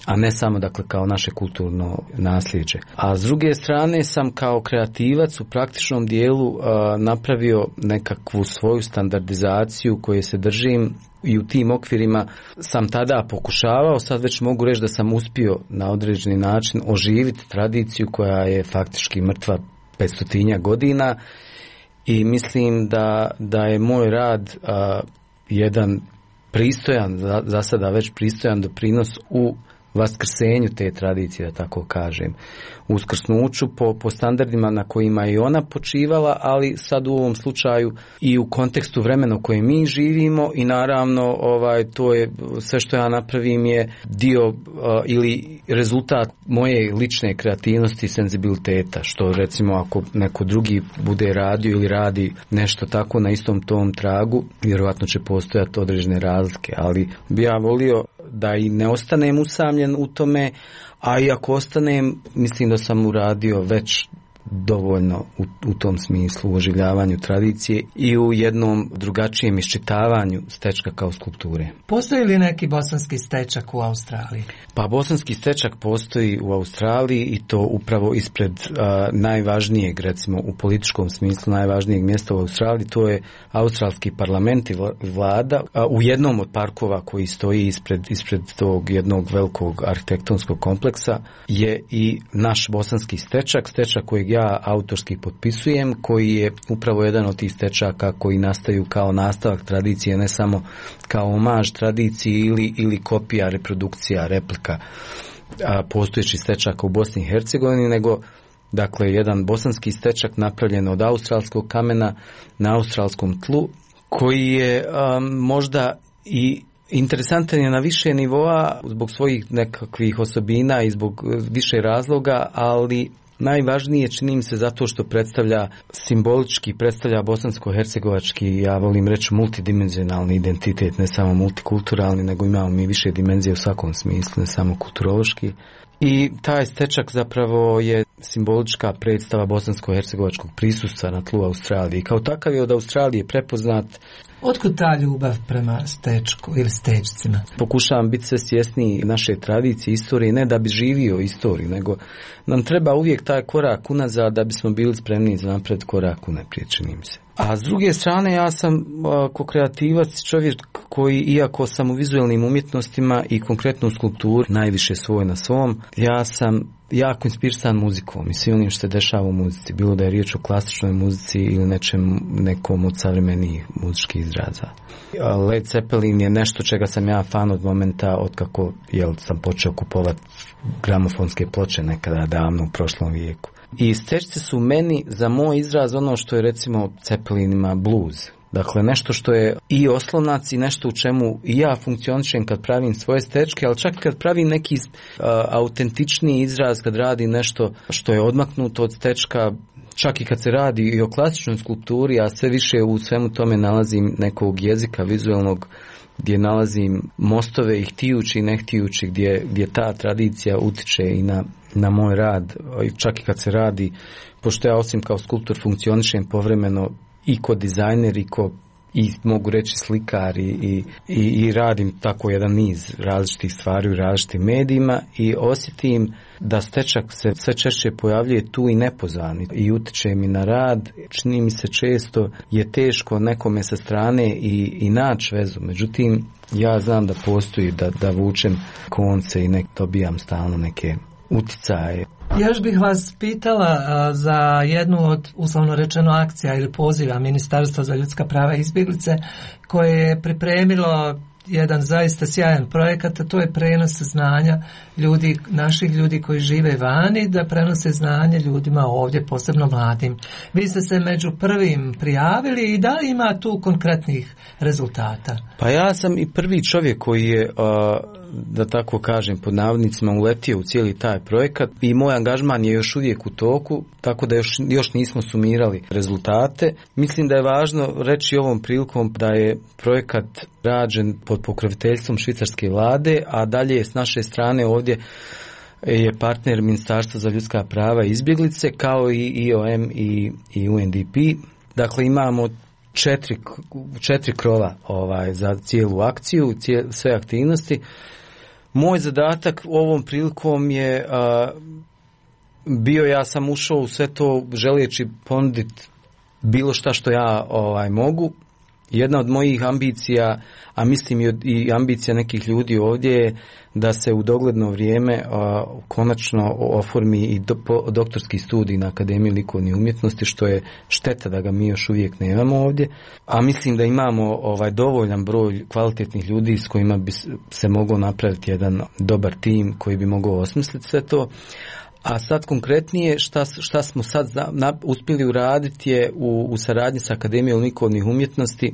a ne samo dakle kao naše kulturno nasljeđe. A s druge strane sam kao kreativac u praktičnom dijelu uh, napravio nekakvu svoju standardizaciju koje se držim i u tim okvirima sam tada pokušavao, sad već mogu reći da sam uspio na određeni način oživiti tradiciju koja je faktički mrtva petstotinja godina i mislim da, da je moj rad a, jedan pristojan, za, za sada već pristojan doprinos u vaskrsenju te tradicije, da tako kažem. Uskrsnuću po, po standardima na kojima je ona počivala, ali sad u ovom slučaju i u kontekstu vremena u kojem mi živimo i naravno ovaj, to je sve što ja napravim je dio uh, ili rezultat moje lične kreativnosti i senzibiliteta, što recimo ako neko drugi bude radio ili radi nešto tako na istom tom tragu, vjerojatno će postojati određene razlike, ali bi ja volio da i ne ostanem usamljen u tome, a i ako ostanem, mislim da sam uradio već dovoljno u, u tom smislu, u oživljavanju tradicije i u jednom drugačijem iščitavanju stečka kao skulpture. Postoji li neki bosanski stečak u Australiji? Pa bosanski stečak postoji u Australiji i to upravo ispred uh, najvažnijeg, recimo u političkom smislu najvažnijeg mjesta u Australiji, to je australski parlament i vlada. Uh, u jednom od parkova koji stoji ispred, ispred tog jednog velikog arhitektonskog kompleksa je i naš bosanski stečak, stečak kojeg ja autorski potpisujem, koji je upravo jedan od tih stečaka koji nastaju kao nastavak tradicije, ne samo kao omaž tradiciji ili, ili kopija, reprodukcija, replika a, postojećih stečaka u Bosni i Hercegovini, nego dakle jedan bosanski stečak napravljen od australskog kamena na australskom tlu, koji je a, možda i interesantan je na više nivoa zbog svojih nekakvih osobina i zbog više razloga, ali najvažnije čini mi se zato što predstavlja simbolički, predstavlja bosansko-hercegovački, ja volim reći multidimenzionalni identitet, ne samo multikulturalni, nego imamo mi više dimenzije u svakom smislu, ne samo kulturološki. I taj stečak zapravo je simbolička predstava bosansko-hercegovačkog prisustva na tlu Australije. Kao takav je od Australije prepoznat. Otkud ta ljubav prema stečku ili stečcima? Pokušavam biti sve svjesniji naše tradicije, istorije, ne da bi živio istoriju, nego nam treba uvijek taj korak unazad da bismo bili spremni za napred korak unaprijed, čini mi se. A s druge strane, ja sam ko kreativac čovjek koji, iako sam u vizualnim umjetnostima i konkretno u skulpturi najviše svoj na svom, ja sam jako inspirisan muzikom i svim onim što se dešava u muzici, bilo da je riječ o klasičnoj muzici ili nečem, nekom od savremenijih muzičkih izraza. Led Zeppelin je nešto čega sam ja fan od momenta od kako jel, sam počeo kupovati gramofonske ploče nekada davno u prošlom vijeku. I stečci su meni za moj izraz ono što je recimo Cepelinima blues. Dakle, nešto što je i oslonac i nešto u čemu i ja funkcionišem kad pravim svoje stečke, ali čak kad pravim neki uh, autentičniji izraz, kad radi nešto što je odmaknuto od stečka, čak i kad se radi i o klasičnoj skulpturi, a sve više u svemu tome nalazim nekog jezika vizualnog, gdje nalazim mostove i htijući i ne htijući, gdje, gdje ta tradicija utiče i na, na moj rad, čak i kad se radi, pošto ja osim kao skulptor funkcionišem povremeno i ko dizajner i ko, i mogu reći slikar i, i, i radim tako jedan niz različitih stvari u različitim medijima i osjetim da stečak se sve češće pojavljuje tu i nepozvani i utiče mi na rad. Čini mi se često je teško nekome sa strane i, i naći vezu, međutim ja znam da postoji, da, da vučem konce i nek dobijam stalno neke uticaje. Još bih vas pitala a, za jednu od, uslovno rečeno, akcija ili poziva Ministarstva za ljudska prava i izbjeglice koje je pripremilo jedan zaista sjajan projekat, a to je prenos znanja ljudi, naših ljudi koji žive vani, da prenose znanje ljudima ovdje, posebno mladim. Vi ste se među prvim prijavili i da li ima tu konkretnih rezultata? Pa ja sam i prvi čovjek koji je, da tako kažem, pod navodnicima uletio u cijeli taj projekat i moj angažman je još uvijek u toku, tako da još, još nismo sumirali rezultate. Mislim da je važno reći ovom prilikom da je projekat rađen pod pokroviteljstvom švicarske vlade, a dalje s naše strane ovdje je partner Ministarstva za ljudska prava i izbjeglice, kao i I O M i, i U N D P. Dakle, imamo četiri, četiri krova ovaj, za cijelu akciju, cijel, sve aktivnosti. Moj zadatak ovom prilikom je a, bio, ja sam ušao u sve to želeći ponuditi bilo šta što ja ovaj, mogu. Jedna od mojih ambicija, a mislim i, i ambicija nekih ljudi ovdje je da se u dogledno vrijeme a, konačno oformi i do, po, doktorski studij na Akademiji likovnih umjetnosti, što je šteta da ga mi još uvijek nemamo ovdje. A mislim da imamo ovaj dovoljan broj kvalitetnih ljudi s kojima bi se mogao napraviti jedan dobar tim koji bi mogao osmisliti sve to. A sad konkretnije šta, šta smo sad na, uspjeli uraditi je u, u saradnji sa Akademijom likovnih umjetnosti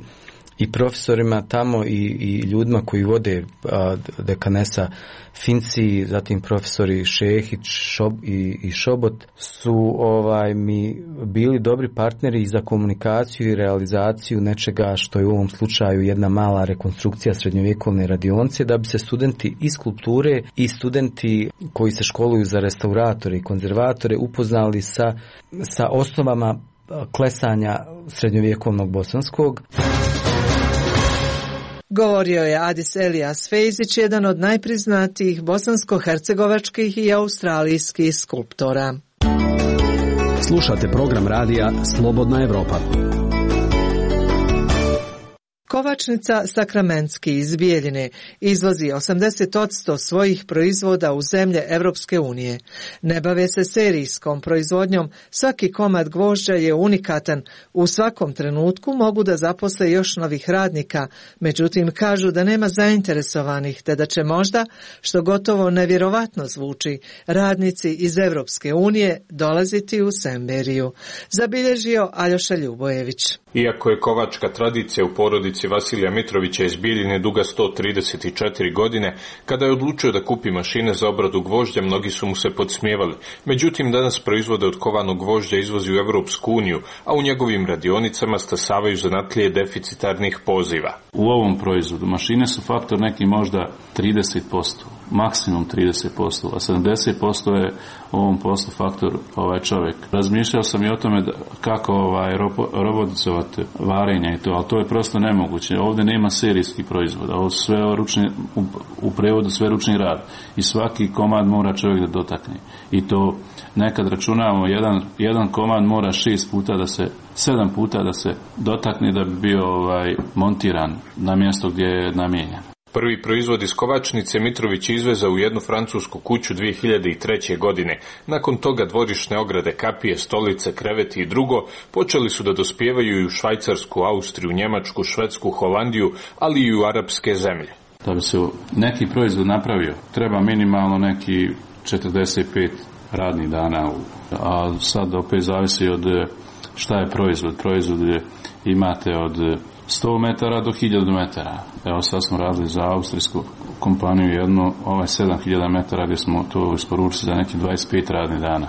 i profesorima tamo i, i ljudima koji vode a, dekanesa Finci, zatim profesori Šehić Šob, i, i Šobot su ovaj mi bili dobri partneri za komunikaciju i realizaciju nečega što je u ovom slučaju jedna mala rekonstrukcija srednjovjekovne radionice, da bi se studenti iz skulpture i studenti koji se školuju za restauratore i konzervatore upoznali sa, sa osnovama klesanja srednjovjekovnog bosanskog. Govorio je Adis Elijas Fejzić, jedan od najpriznatijih bosansko-hercegovačkih i australijskih skulptora. Slušate program radija Slobodna Evropa. Kovačnica Sakramentski iz Bijeljine izvozi osamdeset posto svojih proizvoda u zemlje Evropske unije. Ne bave se serijskom proizvodnjom, svaki komad gvožđa je unikatan. U svakom trenutku mogu da zaposle još novih radnika, međutim kažu da nema zainteresovanih, te da će možda, što gotovo nevjerovatno zvuči, radnici iz Evropske unije dolaziti u Semberiju. Zabilježio Aljoša Ljubojević. Iako je kovačka tradicija u porodici Vasilija Mitrovića iz Bijeljine duga sto trideset četiri godine, kada je odlučio da kupi mašine za obradu gvožđa, mnogi su mu se podsmijevali. Međutim, danas proizvode od kovanog gvožđa izvozi u Evropsku uniju, a u njegovim radionicama stasavaju zanatlije deficitarnih poziva. U ovom proizvodu mašine su faktor neki možda trideset posto, maksimum trideset posto, a sedamdeset posto je u ovom poslu faktor ovaj čovjek. Razmišljao sam i o tome da, kako ovaj robotizovati varenje i to, ali to je prosto nemoguće. Ovdje nema serijskih proizvoda, ovo sve ručni, u, u prevodu sve ručni rad i svaki komad mora čovjek da dotakne. I to nekad računamo, jedan, jedan komad mora šest puta da se, sedam puta da se dotakne da bi bio ovaj, montiran na mjesto gdje je namijenjen. Prvi proizvod iz kovačnice Mitrović izvezao u jednu francusku kuću dvije hiljade treće. godine. Nakon toga dvorišne ograde, kapije, stolice, kreveti i drugo počeli su da dospijevaju i u Švajcarsku, Austriju, Njemačku, Švedsku, Holandiju, ali i u arapske zemlje. Da bi se neki proizvod napravio, treba minimalno neki četrdeset pet radnih dana, a sad opet zavisi od šta je proizvod. Proizvod je, imate od sto metara do hiljadu metara. Evo sad smo radili za austrijsku kompaniju jednu, ovaj sedam hiljada metara gdje smo to isporučili za neki dvadeset pet radnih dana.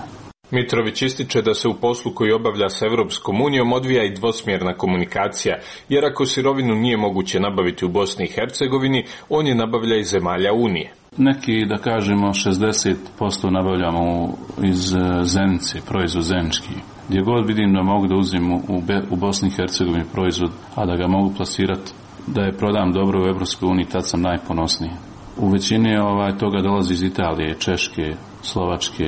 Mitrović ističe da se u poslu koji obavlja s Evropskom unijom odvija i dvosmjerna komunikacija, jer ako sirovinu nije moguće nabaviti u Bosni i Hercegovini, on je nabavlja iz zemalja Unije. Neki, da kažemo, šezdeset posto nabavljamo iz Zenice, proizvod zenički. Gdje god vidim da mogu da uzim u, u Bosni i Hercegovini proizvod, a da ga mogu plasirati, da je prodam dobro u Evropskoj uniji, tad sam najponosniji. U većini ovaj, toga dolazi iz Italije, Češke, Slovačke,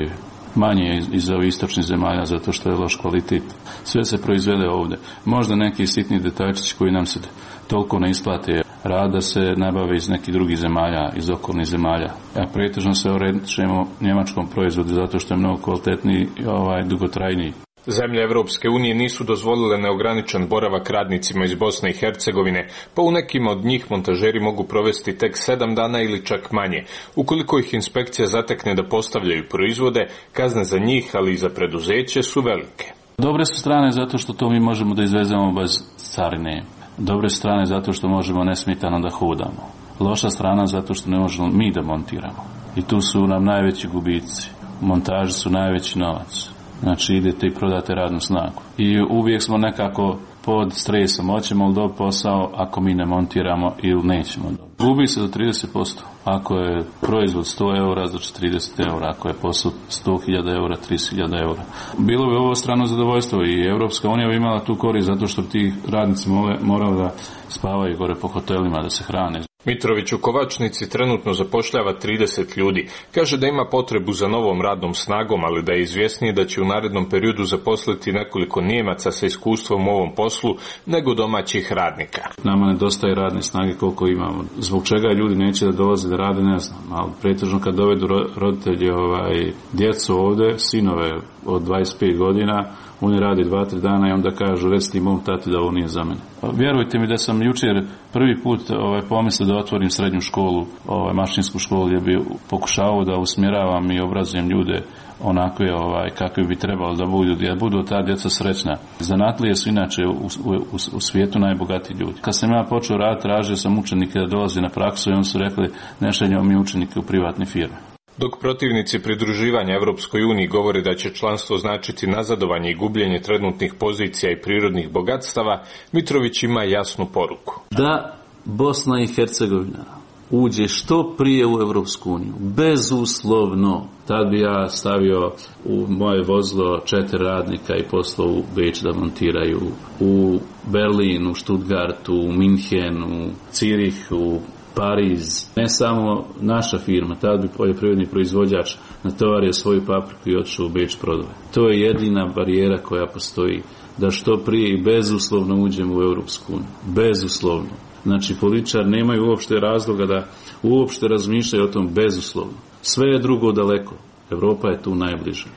manje iz, iz ovih istočnih zemalja zato što je loš kvalitet. Sve se proizvede ovdje. Možda neki sitni detaljčići koji nam se toliko ne isplate rad da se nabave iz nekih drugih zemalja, iz okolnih zemalja. A pretežno se orientišemo njemačkom proizvodu zato što je mnogo kvalitetniji i ovaj, dugotrajniji. Zemlje Evropske unije nisu dozvolile neograničen boravak radnicima iz Bosne i Hercegovine, pa u nekima od njih montažeri mogu provesti tek sedam dana ili čak manje. Ukoliko ih inspekcija zatekne da postavljaju proizvode, kazne za njih, ali i za preduzeće su velike. Dobre su strane zato što to mi možemo da izvezemo bez carine. Dobre strane zato što možemo nesmetano da hodamo. Loša strana zato što ne možemo mi da montiramo. I tu su nam najveći gubici. Montaži su najveći novac. Znači idete i prodate radnu snagu. I uvijek smo nekako pod stresom. Hoćemo li dobiti posao ako mi ne montiramo ili nećemo dobiti. Gubi se do trideset posto. Ako je proizvod sto eura, znači trideset eura. Ako je posao sto hiljada eura, trideset hiljada eura. Bilo bi ovo strano zadovoljstvo i Evropska unija bi imala tu korist zato što ti radnici morali da spavaju gore po hotelima, da se hrane. Mitrović u Kovačnici trenutno zapošljava trideset ljudi. Kaže da ima potrebu za novom radnom snagom, ali da je izvjesnije da će u narednom periodu zaposliti nekoliko Nijemaca sa iskustvom u ovom poslu nego domaćih radnika. Nama nedostaje radne snage koliko imamo. Zbog čega ljudi neće da dolaze da rade, ne znam. Ali pretežno kad dovedu roditelji ovaj, djecu ovdje, sinove od dvadeset pet godina, oni radi dva, tri dana i onda kažu recite mom tati da ovo nije za mene. Pa vjerujte mi da sam jučer prvi put ovaj, pomislio da otvorim srednju školu, ovaj, mašinsku školu gdje bi pokušavao da usmjeravam i obrazujem ljude onako je ovaj, kakvi bi trebalo da budu, da budu ta djeca srećna. Zanatlije su inače u, u, u, u svijetu najbogatiji ljudi. Kad sam ja počeo raditi, tražio sam učenike da dolazi na praksu i oni su rekli ne šaljemo mi učenike u privatne firme. Dok protivnici pridruživanja Evropskoj uniji govore da će članstvo značiti nazadovanje i gubljenje trenutnih pozicija i prirodnih bogatstava, Mitrović ima jasnu poruku. Da Bosna i Hercegovina uđe što prije u Evropsku uniju, bezuslovno. Tad bi ja stavio u moje vozilo četiri radnika i poslao u Beč da montiraju, u Berlin, u Stuttgartu, u Minhen, u Cirihu, Pariz. Ne samo naša firma, tad bi poljoprivredni proizvođač natovario svoju papriku i otišao u Beč prodove. To je jedina barijera koja postoji, da što prije i bezuslovno uđemo u Europsku uniju. Bezuslovno. Znači, političar nemaju uopšte razloga da uopšte razmišljaju o tom bezuslovno. Sve je drugo daleko. Evropa je tu najbliže.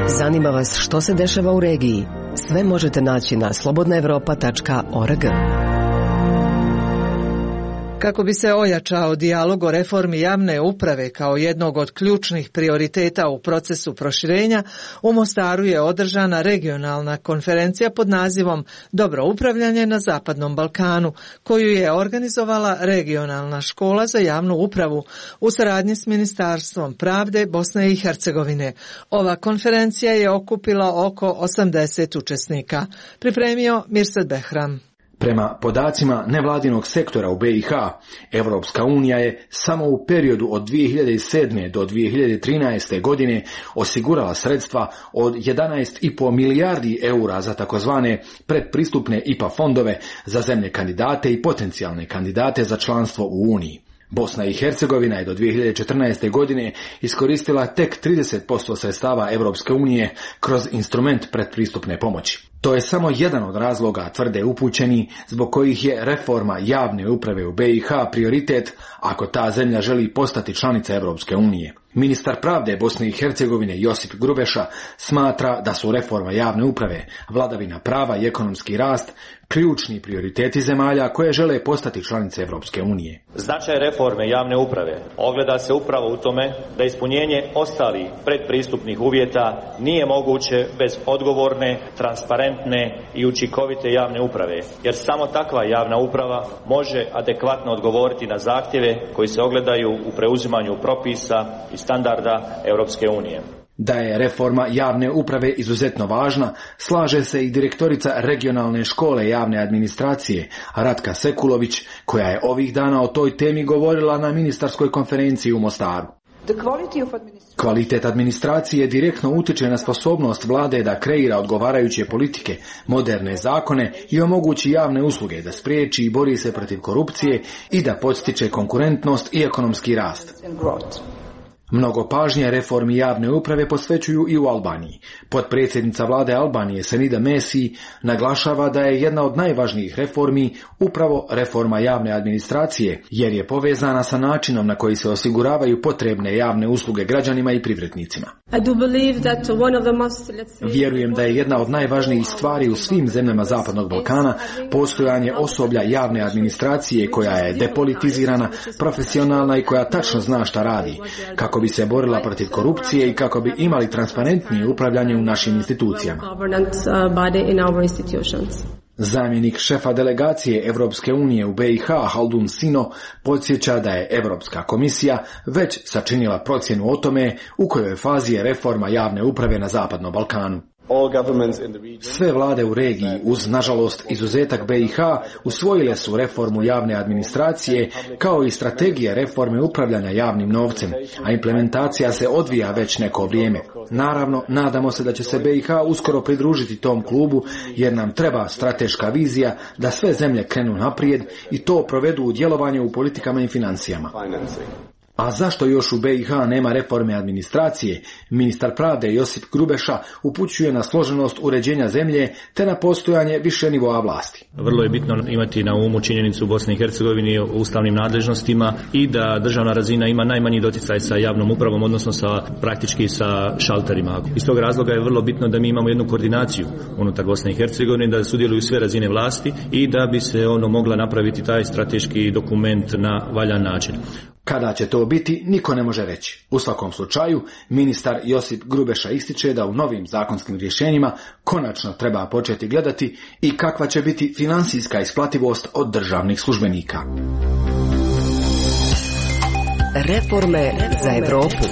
Zanima vas što se dešava u regiji? Sve možete naći na slobodna evropa tačka org. Kako bi se ojačao dijalog o reformi javne uprave kao jednog od ključnih prioriteta u procesu proširenja, u Mostaru je održana regionalna konferencija pod nazivom Dobro upravljanje na Zapadnom Balkanu, koju je organizovala Regionalna škola za javnu upravu u saradnji s Ministarstvom pravde Bosne i Hercegovine. Ova konferencija je okupila oko osamdeset učesnika. Pripremio Mirsad Behram. Prema podacima nevladinog sektora u B i H, Evropska unija je samo u periodu od dvije hiljade sedme do dvije hiljade trinaeste godine osigurala sredstva od jedanaest i po milijardi eura za takozvane predpristupne I P A fondove za zemlje kandidate i potencijalne kandidate za članstvo u Uniji. Bosna i Hercegovina je do dvije hiljade četrnaeste. godine iskoristila tek trideset posto sredstava Evropske unije kroz instrument predpristupne pomoći. To je samo jedan od razloga, tvrde upućeni, zbog kojih je reforma javne uprave u B i H prioritet ako ta zemlja želi postati članica Evropske unije. Ministar pravde Bosne i Hercegovine Josip Grubeša smatra da su reforma javne uprave, vladavina prava i ekonomski rast ključni prioriteti zemalja koje žele postati članice Evropske unije. Značaj reforme javne uprave ogleda se upravo u tome da ispunjenje ostalih predpristupnih uvjeta nije moguće bez odgovorne, transparentne i učinkovite javne uprave, jer samo takva javna uprava može adekvatno odgovoriti na zahtjeve koji se ogledaju u preuzimanju propisa i standarda Europske unije. Da je reforma javne uprave izuzetno važna, slaže se i direktorica regionalne škole javne administracije, Ratka Sekulović, koja je ovih dana o toj temi govorila na ministarskoj konferenciji u Mostaru. Kvalitet administracije direktno utiče na sposobnost vlade da kreira odgovarajuće politike, moderne zakone i omogući javne usluge, da spriječi i bori se protiv korupcije i da podstiče konkurentnost i ekonomski rast. Mnogo pažnje reformi javne uprave posvećuju i u Albaniji. Potpredsjednica vlade Albanije Senida Mesi naglašava da je jedna od najvažnijih reformi upravo reforma javne administracije, jer je povezana sa načinom na koji se osiguravaju potrebne javne usluge građanima i privrednicima. Vjerujem da je jedna od najvažnijih stvari u svim zemljama Zapadnog Balkana postojanje osoblja javne administracije koja je depolitizirana, profesionalna i koja tačno zna šta radi, kako bi se borila protiv korupcije i kako bi imali transparentnije upravljanje u našim institucijama. Zamjenik šefa delegacije Evropske unije u B i H Haldun Sino podsjeća da je Evropska komisija već sačinila procjenu o tome u kojoj fazi je reforma javne uprave na Zapadnom Balkanu. Sve vlade u regiji, uz nažalost izuzetak B i H, usvojile su reformu javne administracije kao i strategije reforme upravljanja javnim novcem, a implementacija se odvija već neko vrijeme. Naravno, nadamo se da će se B i H uskoro pridružiti tom klubu, jer nam treba strateška vizija da sve zemlje krenu naprijed i to provedu u djelovanju u politikama i financijama. A zašto još u B i H nema reforme administracije? Ministar pravde Josip Grubeša upućuje na složenost uređenja zemlje te na postojanje više nivoa vlasti. Vrlo je bitno imati na umu činjenicu u Bosni i Hercegovini o ustavnim nadležnostima i da državna razina ima najmanji doticaj sa javnom upravom, odnosno sa praktički sa šalterima. Iz tog razloga je vrlo bitno da mi imamo jednu koordinaciju unutar Bosne i Hercegovine, da sudjeluju sve razine vlasti i da bi se ono mogla napraviti taj strateški dokument na valjan način. Kada će to biti, niko ne može reći. U svakom slučaju, ministar Josip Grubeša ističe da u novim zakonskim rješenjima konačno treba početi gledati i kakva će biti financijska isplativost od državnih službenika. Reforme za Evropu.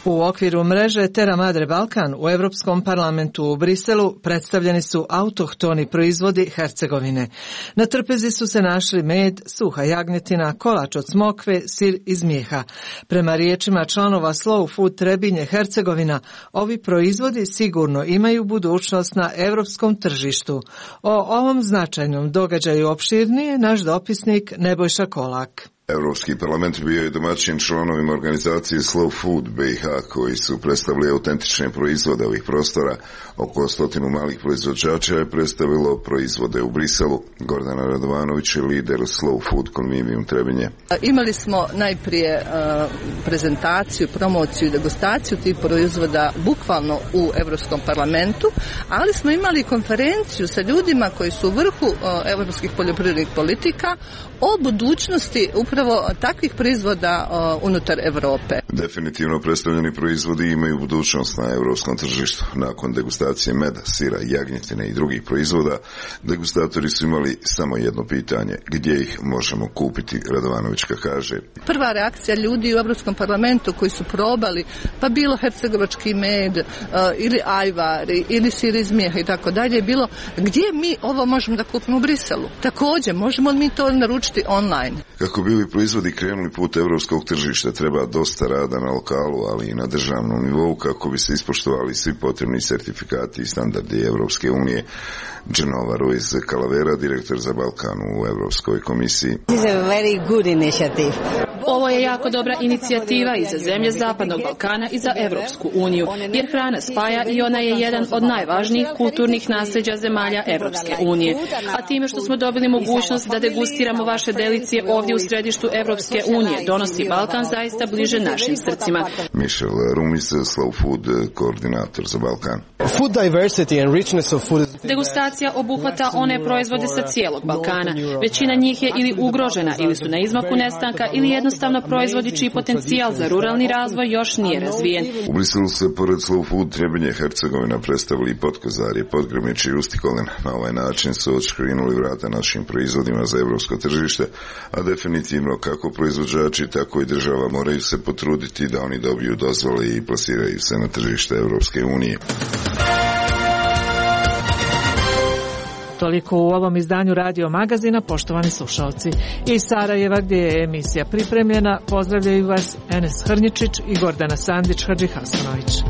U okviru mreže Terra Madre Balkan u Europskom parlamentu u Briselu predstavljeni su autohtoni proizvodi Hercegovine. Na trpezi su se našli med, suha jagnjetina, kolač od smokve, sir iz mjeha. Prema riječima članova Slow Food Trebinje Hercegovina, ovi proizvodi sigurno imaju budućnost na europskom tržištu. O ovom značajnom događaju opširnije naš dopisnik Nebojša Kolak. Europski parlament bio je domaćin članovima organizacije Slow Food B i H koji su predstavili autentične proizvode ovih prostora. Oko stotinu malih proizvođača je predstavilo proizvode u Briselu. Gordana Radovanović je lider Slow Food Convivium Trebinje. Imali smo najprije uh, prezentaciju, promociju i degustaciju tih proizvoda bukvalno u Europskom parlamentu, ali smo imali konferenciju sa ljudima koji su u vrhu uh, europskih poljoprivrednih politika o budućnosti upravo takvih proizvoda uh, unutar Europe. Definitivno predstavljeni proizvodi imaju budućnost na europskom tržištu. Nakon degustacije meda, sira, jagnjetine i drugih proizvoda, degustatori su imali samo jedno pitanje: gdje ih možemo kupiti? Radovanovićka kaže: prva reakcija ljudi u Europskom parlamentu koji su probali, pa bilo hercegovački med uh, ili ajvar ili sir iz mjeha i tako dalje, je bilo gdje mi ovo možemo da kupimo u Briselu. Također, možemo li mi to naručiti online? Kako bi ovi proizvodi krenuli put europskog tržišta, treba dosta rada na lokalu, ali i na državnom nivou kako bi se ispoštovali svi potrebni sertifikati i standardi Europske unije. Genova Ruiz Calavera, direktor za Balkan u Europskoj komisiji. Ovo je jako dobra inicijativa i za zemlje Zapadnog Balkana i za Europsku uniju, jer hrana spaja i ona je jedan od najvažnijih kulturnih nasljeđa zemalja Europske unije. A time što smo dobili mogućnost da degustiramo vaše delicije ovdje u središtu središtu Evropske unije donosi Balkan zaista bliže našim srcima. Michel Rumis, Slow Food koordinator za Balkan. Food diversity and richness of food. Degustacija obuhvata one proizvode sa cijelog Balkana. Većina njih je ili ugrožena, ili su na izmaku nestanka, ili jednostavno proizvodi čiji potencijal za ruralni razvoj još nije razvijen. U Briselu se pored Slow Food Trebinje Hercegovina predstavili i Potkozarje, Podgrmić i Ustikolin. Na ovaj način su odškrinuli vrata našim proizvodima za evropsko tržište, a definitivno kako proizvođači, tako i država moraju se potruditi da oni dobiju dozvole i plasiraju se na tržište Evropske unije. Toliko u ovom izdanju Radio Magazina, poštovani slušalci. Iz Sarajeva, gdje je emisija pripremljena, pozdravljaju vas Enes Hrnjičić i Gordana Sandić Hadžihasanović.